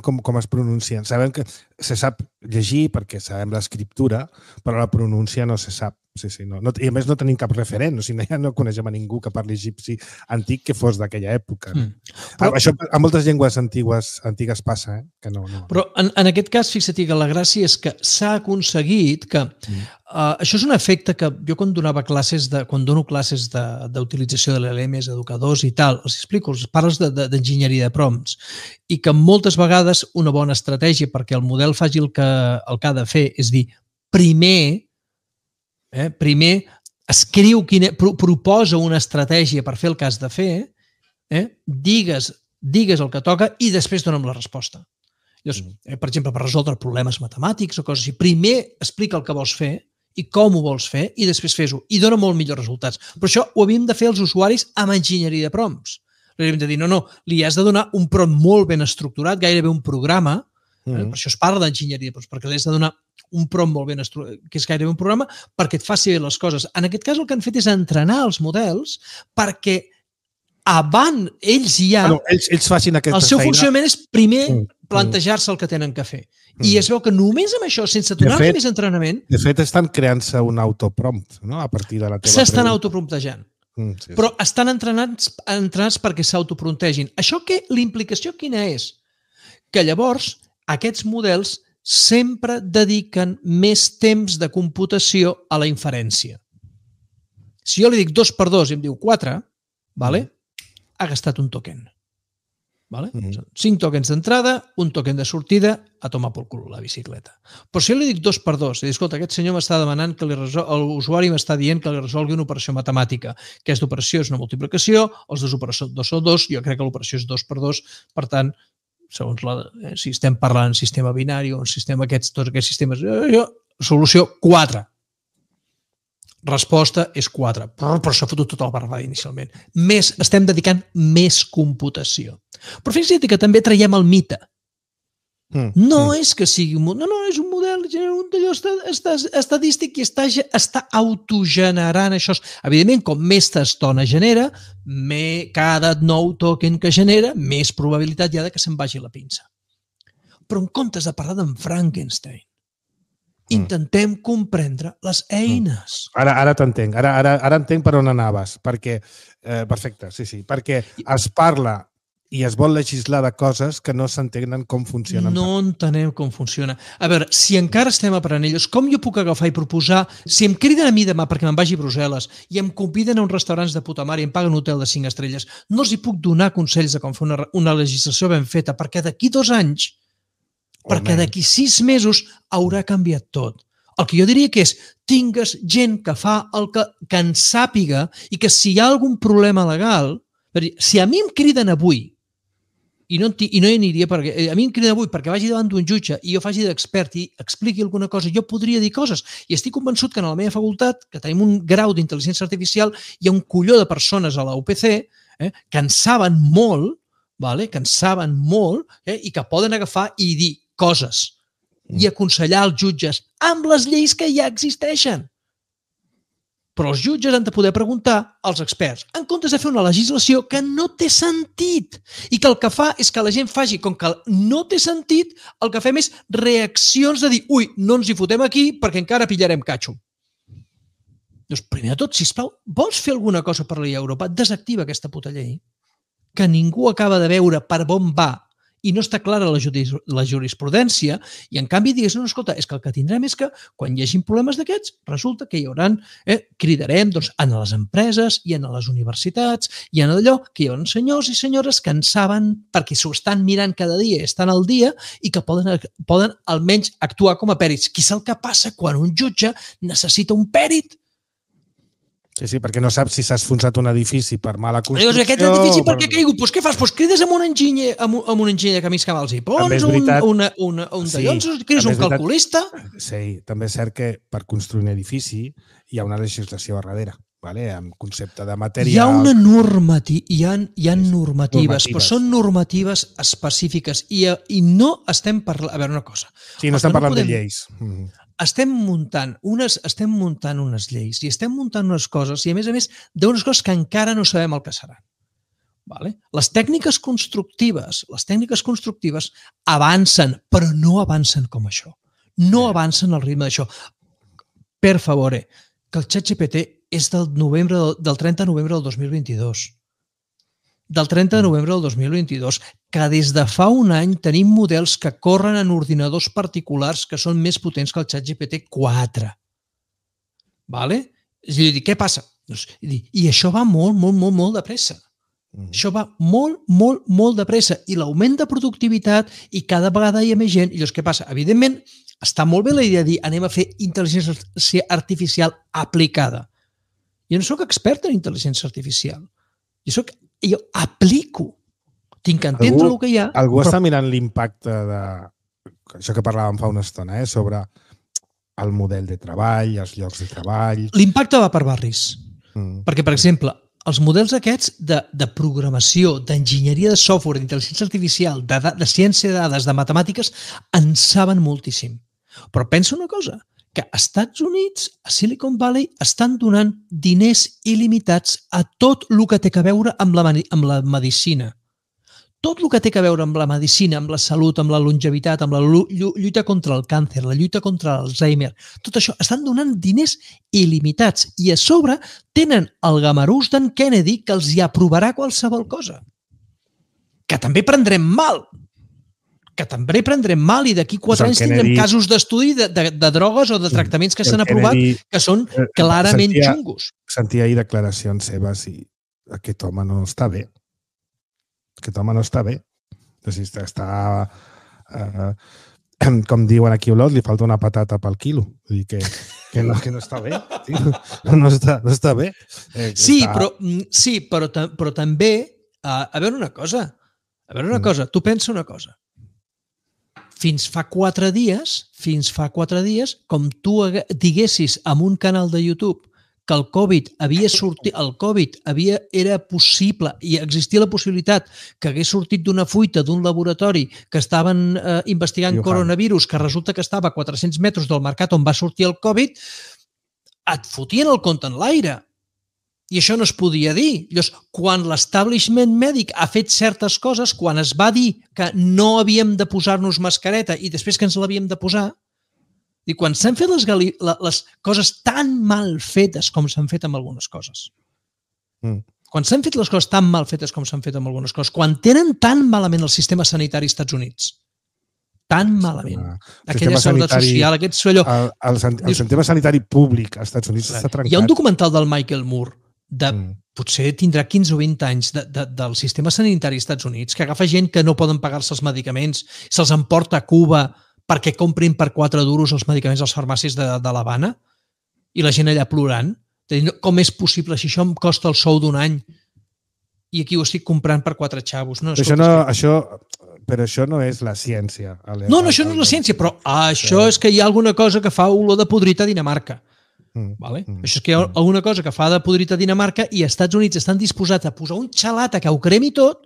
[SPEAKER 2] com es pronuncien. Sabem que se sap llegir perquè sabem l'escriptura, però la pronúncia no se sap. I a més no tenim cap referent, ja no coneixem a ningú que parli egipci antic que fos d'aquella època. Això a moltes llengües antigues passa, que no.
[SPEAKER 3] Però en aquest cas, fixa't que la gràcia és que s'ha aconseguit que... Això és un efecte que jo quan dono classes d'utilització de l'LM, educadors i tal, els explico, els parles d'enginyeria de prompts, i que moltes vegades una bona estratègia perquè el model faci el que ha de fer és dir, primer proposa una estratègia per fer el que has de fer, digues el que toca i després dona'm la resposta. Llavors, per exemple, per resoldre problemes matemàtics o coses així, primer explica el que vols fer i com ho vols fer i després fes-ho i dona molt millors resultats. Però això ho havíem de fer els usuaris amb enginyeria de prompts. Li havíem de dir, no, li has de donar un prompt molt ben estructurat, gairebé un programa, per això es parla d'enginyeria de prompts, perquè li has de donar un prompt molt ben estructurat, que és gairebé un programa, perquè et faci bé les coses. En aquest cas el que han fet és entrenar els models perquè abans ells ja...
[SPEAKER 2] Ells facin aquesta feina.
[SPEAKER 3] El seu funcionament és primer plantejar-se el que tenen que fer. I es veu que només amb això, sense donar-li més entrenament...
[SPEAKER 2] De fet, estan creant-se un autoprompt, no?, a partir de la teva pregunta.
[SPEAKER 3] S'estan autopromptejant. Però estan entrenats perquè s'autopromptegin. Això que l'implicació quina és? Que llavors aquests models sempre dediquen més temps de computació a la inferència. Si jo li dic 2 per 2 i em diu 4, ha gastat un token. 5 tokens d'entrada, un token de sortida, a tomar pel cul la bicicleta. Però si jo li dic 2 per 2, i dic, escolta, aquest senyor m'està demanant que l'usuari m'està dient que li resolgui una operació matemàtica. Aquesta operació és una multiplicació, els dos operadors són 2, jo crec que l'operació és 2 per 2, per tant, segons si estem parlant en sistema binari o en sistema tots aquests sistemes, solució 4. Resposta és 4. Però s'ha fotut tota la barbada inicialment. Estem dedicant més computació. Però fixa't que també traiem el mite. No és que sigui un model, no, és un model estadístic i està autogenerant això. Evidentment, com més t'estona genera, cada nou token que genera, més probabilitat hi ha que se'n vagi la pinça. Però en comptes de parlar d'en Frankenstein, intentem comprendre les eines.
[SPEAKER 2] Ara t'entenc. Ara entenc per on anaves. Perquè, perfecte, sí. Perquè es parla i es vol legislar de coses que no s'entenen com funcionen.
[SPEAKER 3] No entenem com funciona. A veure, si encara estem aprenent ells, com jo puc agafar i proposar, si em criden a mi demà perquè me'n vagi a Brussel·les i em conviden a uns restaurants de puta mare i em paguen un hotel de 5 estrelles, no els hi puc donar consells de com fer una legislació ben feta, perquè d'aquí 2 anys, perquè d'aquí 6 mesos haurà canviat tot. El que jo diria que és, tingues gent que fa el que en sàpiga i que si hi ha algun problema legal, si a mi em criden avui i no hi aniria perquè a mi em criden avui perquè vagi davant d'un jutge i jo faci d'expert i expliqui alguna cosa, jo podria dir coses i estic convençut que en la meva facultat, que tenim un grau d'intel·ligència artificial, hi ha un colló de persones a la UPC que en saben molt, i que poden agafar i dir coses i aconsellar els jutges amb les lleis que ja existeixen. Però els jutges han de poder preguntar als experts, en comptes de fer una legislació que no té sentit i que el que fa és que la gent faci, com que no té sentit, el que fem és reaccions de dir, ui, no ens hi fotem aquí perquè encara pillarem catxo. Doncs primer de tot, sisplau, vols fer alguna cosa per la llei a Europa? Desactiva aquesta puta llei, que ningú acaba de veure per on va i no està clara la jurisprudència, i en canvi digues, no, escolta, és que el que tindrem és que quan hi hagi problemes d'aquests, resulta que hi haurà, cridarem en les empreses i en les universitats i en allò que hi haurà senyors i senyores que en saben perquè s'ho estan mirant cada dia, estan al dia i que poden almenys actuar com a pèrits. Què és el que passa quan un jutge necessita un pèrit?
[SPEAKER 2] Sí, perquè no saps si s'ha esfonsat un edifici per mala construcció...
[SPEAKER 3] Dius, aquest edifici per què ha caigut? Doncs què fas? Doncs crides amb un enginyer de camins cabals i pons, un dallons, crides un calculista...
[SPEAKER 2] Sí, també és cert que per construir un edifici hi ha una legislació a darrere, amb concepte de material...
[SPEAKER 3] Hi ha una normativa, hi ha normatives, però són normatives específiques i no estem parlant... A veure, una cosa...
[SPEAKER 2] Sí, no estem parlant de lleis.
[SPEAKER 3] Estem muntant unes lleis i estem muntant unes coses i, a més, d'unes coses que encara no sabem el que seran. Les tècniques constructives avancen, però no avancen com això. No avancen al ritme d'això. Per favor, que el ChatGPT és del 30 de novembre del 2022. Del 30 de novembre del 2022, que des de fa un any tenim models que corren en ordinadors particulars que són més potents que el ChatGPT 4. És a dir, què passa? I això va molt de pressa. Això va molt de pressa. I l'augment de productivitat i cada vegada hi ha més gent. I llavors, què passa? Evidentment, està molt bé la idea de dir anem a fer intel·ligència artificial aplicada. Jo no soc expert en intel·ligència artificial. Jo aplico. Tinc que entendre el que hi ha.
[SPEAKER 2] Algú està mirant l'impacte de... Això que parlàvem fa una estona, sobre el model de treball, els llocs de treball...
[SPEAKER 3] L'impacte va per barris. Perquè, per exemple, els models aquests de programació, d'enginyeria de software, d'intel·ligència artificial, de ciència de dades, de matemàtiques, en saben moltíssim. Però pensa una cosa, que als Estats Units, a Silicon Valley, estan donant diners il·limitats a tot el que té a veure amb la medicina. Tot el que té a veure amb la medicina, amb la salut, amb la longevitat, amb la lluita contra el càncer, la lluita contra l'Alzheimer, tot això, estan donant diners il·limitats i a sobre tenen el gamarús d'en Kennedy que els hi aprovarà qualsevol cosa. Que també prendrem mal. I d'aquí 4 anys tindrem casos d'estudi de drogues o de tractaments que s'han aprovat que són clarament xungos.
[SPEAKER 2] Sentia ahir declaracions seves i aquest home no està bé. Està, com diuen aquí a Olot, li falta una patata pel quilo. Vull dir que no està bé. No està bé.
[SPEAKER 3] Sí, però també, a veure una cosa, tu pensa una cosa. Fins fa 4 dies, com tu diguessis en un canal de YouTube que el Covid havia sortit, era possible i existia la possibilitat que hagués sortit d'una fuita d'un laboratori que estaven investigant coronavirus, que resulta que estava a 400 metres del mercat on va sortir el Covid, et fotien el compte en l'aire. I això no es podia dir. Llavors, quan l'establishment mèdic ha fet certes coses, quan es va dir que no havíem de posar-nos mascareta i després que ens l'havíem de posar, i quan s'han fet les coses tan mal fetes com s'han fet amb algunes coses, quan s'han fet les coses tan mal fetes com s'han fet amb algunes coses, quan tenen tan malament el sistema sanitari als Estats Units, tan malament, aquella seguretat social, aquest suello...
[SPEAKER 2] El sistema sanitari públic als Estats Units està trencat.
[SPEAKER 3] Hi ha un documental del Michael Moore, potser tindrà 15 o 20 anys, del sistema sanitari als Estats Units, que agafa gent que no poden pagar-se els medicaments, se'ls emporta a Cuba perquè comprin per 4 duros els medicaments als farmàcies de l'Havana i la gent allà plorant. Com és possible si això em costa el sou d'un any i aquí ho estic comprant per 4 xavos?
[SPEAKER 2] Però això no és la ciència.
[SPEAKER 3] No, això no és la ciència, però això és que hi ha alguna cosa que fa olor de podrit a Dinamarca. Això és que hi ha alguna cosa que fa de podrit a Dinamarca i als Estats Units estan disposats a posar un xalat que ho cremi tot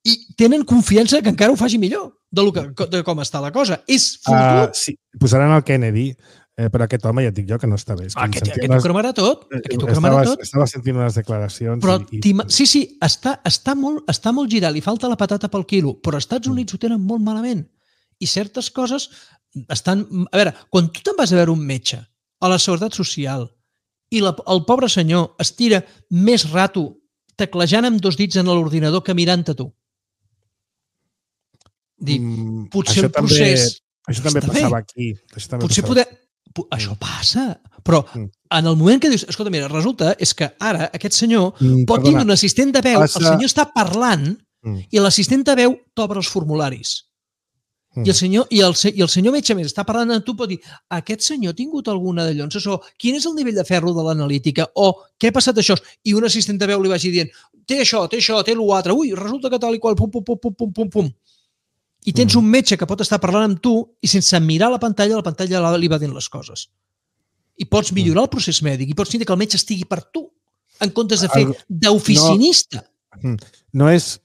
[SPEAKER 3] i tenen confiança que encara ho faci millor de com està la cosa. És fotut.
[SPEAKER 2] Sí, posaran el Kennedy, però aquest home ja et dic jo que no està bé.
[SPEAKER 3] Aquest ho cremarà tot.
[SPEAKER 2] Estava sentint unes declaracions.
[SPEAKER 3] Però sí, està molt girat, li falta la patata pel quilo, però als Estats Units ho tenen molt malament. I certes coses estan... A veure, quan tu te'n vas a veure un metge a la Seguretat Social i el pobre senyor es tira més rato teclejant amb 2 dits en l'ordinador que mirant-te tu. Potser el procés...
[SPEAKER 2] Això també passava aquí.
[SPEAKER 3] Això passa, però en el moment que dius, escolta, mira, resulta és que ara aquest senyor pot tindre un assistent de veu, el senyor està parlant i l'assistent de veu t'obre els formularis. I el senyor metge més està parlant amb tu, pot dir, aquest senyor ha tingut alguna de llonses, o quin és el nivell de ferro de l'analítica, o què ha passat això? I un assistent de veu li vagi dient, té això, té l'altre, ui, resulta que tal i qual, pum. I tens un metge que pot estar parlant amb tu i sense mirar la pantalla li va dient les coses. I pots millorar el procés mèdic i pots tindre que el metge estigui per tu, en comptes de fer d'oficinista.
[SPEAKER 2] No és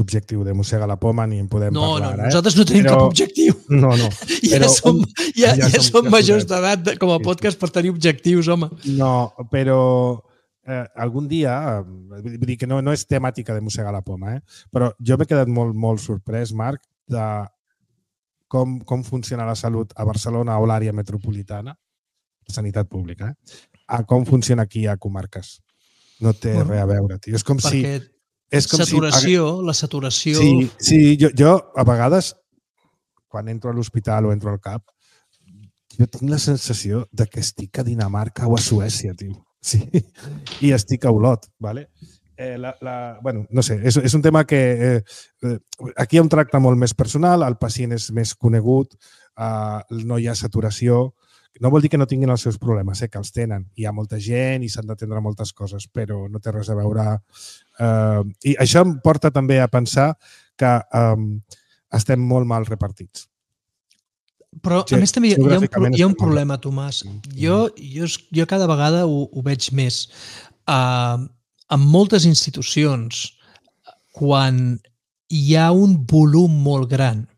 [SPEAKER 2] objectiu de mossegar la poma ni en podem parlar.
[SPEAKER 3] No, nosaltres no tenim cap objectiu.
[SPEAKER 2] No.
[SPEAKER 3] Ja som majors d'edat com a podcast per tenir objectius, home.
[SPEAKER 2] No, però algun dia, vull dir que no és temàtica de mossegar la poma, però jo m'he quedat molt sorprès, Marc, de com funciona la salut a Barcelona o l'àrea metropolitana, sanitat pública, a com funciona aquí a comarques. No té res a veure, tio. És com si...
[SPEAKER 3] La saturació...
[SPEAKER 2] Sí, jo a vegades, quan entro a l'hospital o entro al CAP, jo tinc la sensació de que estic a Dinamarca o a Suècia, tio. Sí, i estic a Olot, ¿vale? Bueno, no sé, és un tema que aquí hi ha un tracte molt més personal, el pacient és més conegut, no hi ha saturació. No vol dir que no tinguin els seus problemes, que els tenen. Hi ha molta gent i s'han d'atendre moltes coses, però no té res a veure. I això em porta també a pensar que estem molt mal repartits.
[SPEAKER 3] Però, a més, també hi ha un problema, Tomàs. Jo cada vegada ho veig més. En moltes institucions, quan hi ha un volum molt gran,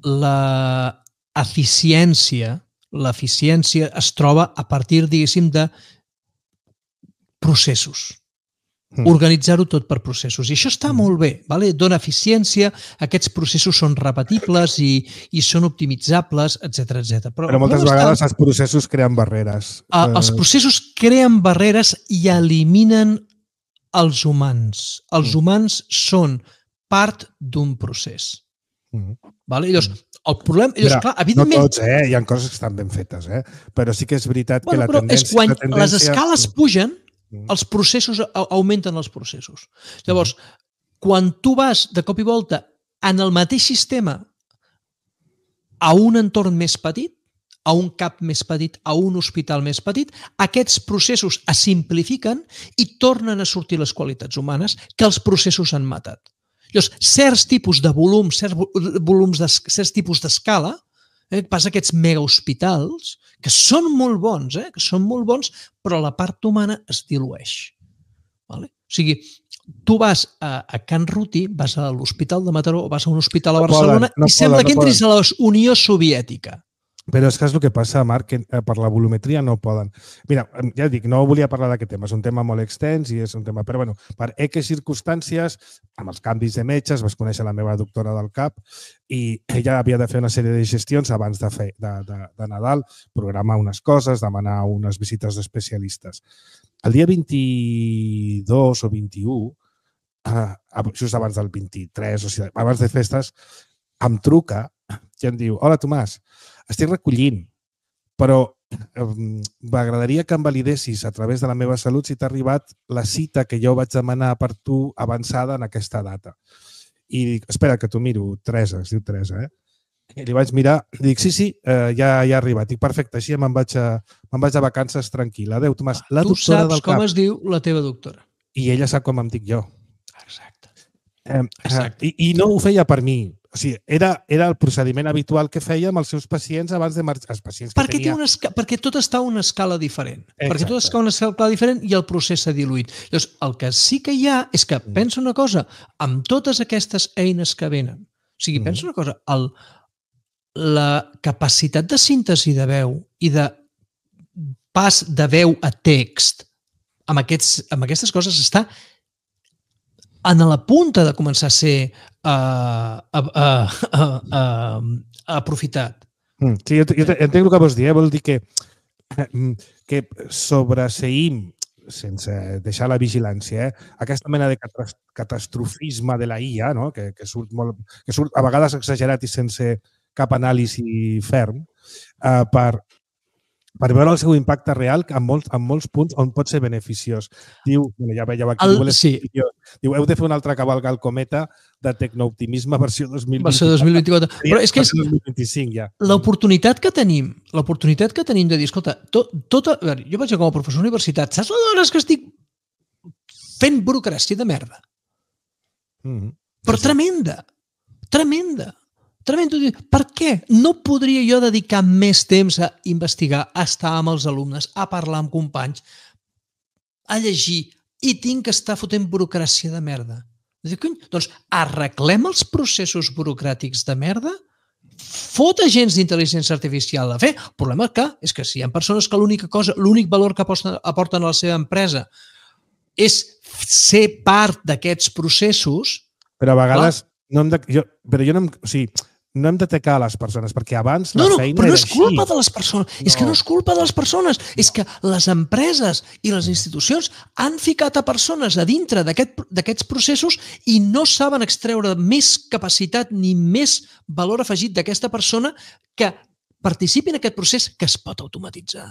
[SPEAKER 3] l'eficiència es troba a partir, diguéssim, de processos. Organitzar-ho tot per processos. I això està molt bé, dona eficiència, aquests processos són repetibles i són optimitzables, etc.
[SPEAKER 2] Però moltes vegades els processos creen barreres.
[SPEAKER 3] Els processos creen barreres i eliminen els humans. Els humans són part d'un procés. Llavors, el problema...
[SPEAKER 2] No tots, hi ha coses que estan ben fetes, però sí que és veritat que la tendència...
[SPEAKER 3] Quan les escales pugen, els processos augmenten els processos. Llavors, quan tu vas de cop i volta en el mateix sistema a un entorn més petit, a un CAP més petit, a un hospital més petit, aquests processos es simplifiquen i tornen a sortir les qualitats humanes que els processos han matat. Llavors, certs tipus de volums, certs tipus d'escala Passa aquests megahospitals, que són molt bons, però la part humana es dilueix. Vale? O sigui, tu vas a Can Ruti, vas a l'Hospital de Mataró o vas a un hospital a Barcelona i sembla que entris a la Unió Soviètica.
[SPEAKER 2] Però és que és el que passa, Marc, que per la volumetria no poden. Mira, ja dic, no volia parlar d'aquest tema, és un tema molt extens i és un tema... Però, bueno, per X circumstàncies, amb els canvis de metges, vas conèixer la meva doctora del CAP i ella havia de fer una sèrie de gestions abans de Nadal, programar unes coses, demanar unes visites d'especialistes. El dia 22 o 21, just abans del 23, o sigui, abans de festes, em truca i em diu: hola, Tomàs, estic recollint, però m'agradaria que em validessis a través de la meva salut si t'ha arribat la cita que jo vaig demanar per tu avançada en aquesta data. I dic, espera, que t'ho miro, Teresa, es diu Teresa, I li vaig mirar, dic, sí, ja ha arribat. Dic, perfecte, així me'n vaig a vacances tranquil·la. Adéu, Tomàs.
[SPEAKER 3] Tu saps com es diu la teva doctora.
[SPEAKER 2] I ella sap com em dic jo.
[SPEAKER 3] Exacte.
[SPEAKER 2] I no ho feia per mi. O sigui, era el procediment habitual que feia amb els seus pacients abans de marxar. Els pacients que tenia...
[SPEAKER 3] Perquè tot està a una escala diferent.
[SPEAKER 2] Exacte.
[SPEAKER 3] Perquè tot està a una escala diferent i el procés s'ha diluït. Llavors, el que sí que hi ha és que, pensa una cosa, amb totes aquestes eines que venen, o sigui, pensa una cosa, la capacitat de síntesi de veu i de pas de veu a text amb aquestes coses està en la punta de començar a ser aprofitat.
[SPEAKER 2] Sí, jo entenc el que vols dir. Vol dir que sobreseïm, sense deixar la vigilància, aquesta mena de catastrofisme de la IA, no? que surt a vegades exagerat i sense cap anàlisi ferm, per veure el seu impacte real en molts punts on pot ser beneficiós. Diu, ja veieu aquí, diu, heu de fer un altre cavalc al cometa de tecnooptimisme versió 2024.
[SPEAKER 3] Versió 2024. Però és que és
[SPEAKER 2] 2025 ja.
[SPEAKER 3] L'oportunitat que tenim de dir, escolta, jo vaig com a professor d'universitat, saps l'hores que estic fent burocràcia de merda? Però tremenda. Per què? No podria jo dedicar més temps a investigar, a estar amb els alumnes, a parlar amb companys, a llegir, i tinc que estar fotent burocràcia de merda. Doncs arreglem els processos burocràtics de merda, fot agents d'intel·ligència artificial a fer. El problema és que si hi ha persones que l'únic valor que aporten a la seva empresa és ser part d'aquests processos...
[SPEAKER 2] Però a vegades no hem d'atacar les persones, perquè abans la feina era així.
[SPEAKER 3] Però no és culpa de les persones. És que no és culpa de les persones. És que les empreses i les institucions han ficat a persones a dintre d'aquests processos i no saben extreure més capacitat ni més valor afegit d'aquesta persona que participi en aquest procés que es pot automatitzar.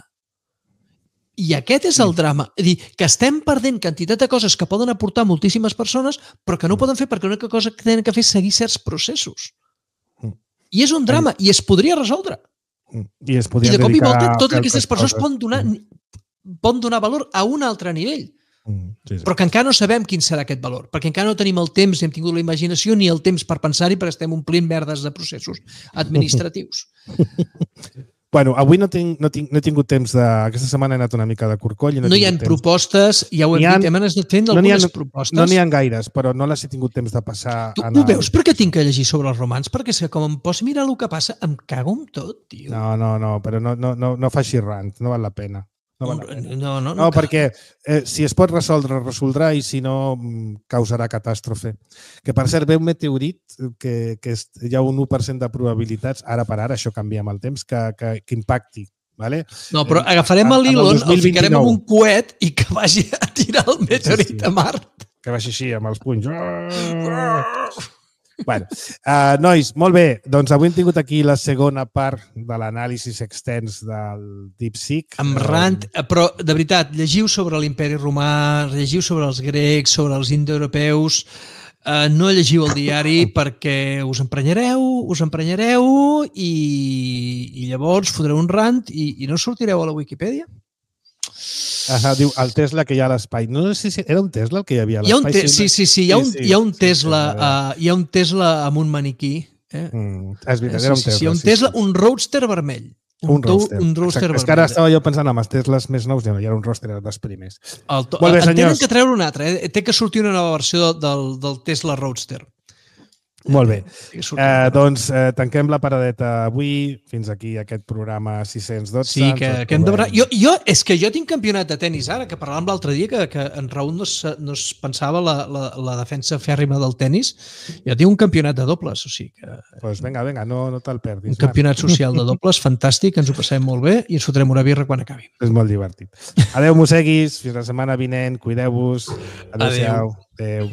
[SPEAKER 3] I aquest és el drama. És dir, que estem perdent quantitat de coses que poden aportar moltíssimes persones, però que no ho poden fer perquè l'única cosa que tenen que fer és seguir certs processos. I és un drama, i es podria resoldre.
[SPEAKER 2] I
[SPEAKER 3] de cop i volta totes aquestes persones poden donar valor a un altre nivell. Però que encara no sabem quin serà aquest valor, perquè encara no tenim el temps, ni hem tingut la imaginació ni el temps per pensar-hi, perquè estem omplint merdes de processos administratius.
[SPEAKER 2] Bueno, avui no he tingut temps de... Aquesta setmana he anat una mica de corcoll.
[SPEAKER 3] No hi ha propostes, ja ho hem dit, hem anat fent algunes propostes.
[SPEAKER 2] No n'hi ha gaires, però no les he tingut temps de passar.
[SPEAKER 3] Tu ho veus per què tinc que llegir sobre els romans? Perquè com em pots mirar el que passa, em cago en tot, tio.
[SPEAKER 2] No, però no faci rant, no val la pena. No, perquè si es pot resoldre, resoldrà, i si no, causarà catàstrofe. Que, per cert, ve un meteorit que hi ha un 1% de probabilitats, ara per ara, això canvia amb el temps, que impacti. Vale?
[SPEAKER 3] No, però agafarem l'Elon, el ficarem en un coet i que vagi a tirar el meteorit a Mart.
[SPEAKER 2] Que vagi així, amb els punys. Bueno, nois, molt bé. Doncs avui hem tingut aquí la segona part de l'anàlisi extens del DeepSeek.
[SPEAKER 3] Amb rant, però de veritat, llegiu sobre l'imperi romà, llegiu sobre els grecs, sobre els indoeuropeus, no llegiu el diari perquè us emprenyareu i llavors fotreu un rant i no sortireu a la Wikipedia.
[SPEAKER 2] Diu, el Tesla que hi ha a l'espai. No sé si era un Tesla el que hi havia a l'espai.
[SPEAKER 3] Sí, hi ha un Tesla amb un maniquí
[SPEAKER 2] És veritat, era un Tesla.
[SPEAKER 3] Sí, un Tesla, un Roadster vermell.
[SPEAKER 2] Un Roadster.
[SPEAKER 3] Roadster
[SPEAKER 2] És que ara estava jo pensant amb els Teslas més nous, ja era un Roadster dels primers.
[SPEAKER 3] Molt bé, tenen que treure un altre. Té que sortir una nova versió del Tesla Roadster.
[SPEAKER 2] Molt bé. Doncs tanquem la paradeta avui. Fins aquí aquest programa 612.
[SPEAKER 3] Sí, que hem de veure. És que jo tinc campionat de tennis ara, que parlàvem l'altre dia, que en Raúl no es pensava la defensa fèrrima del tennis. Jo tinc un campionat de dobles, o sigui que...
[SPEAKER 2] Doncs vinga, no te'l perdis.
[SPEAKER 3] Un campionat social de dobles, fantàstic, ens ho passem molt bé i ens fotrem una birra quan acabi.
[SPEAKER 2] És molt divertit. Adéu, mosseguis. Fins la setmana vinent. Cuideu-vos. Adéu-siau. Adéu.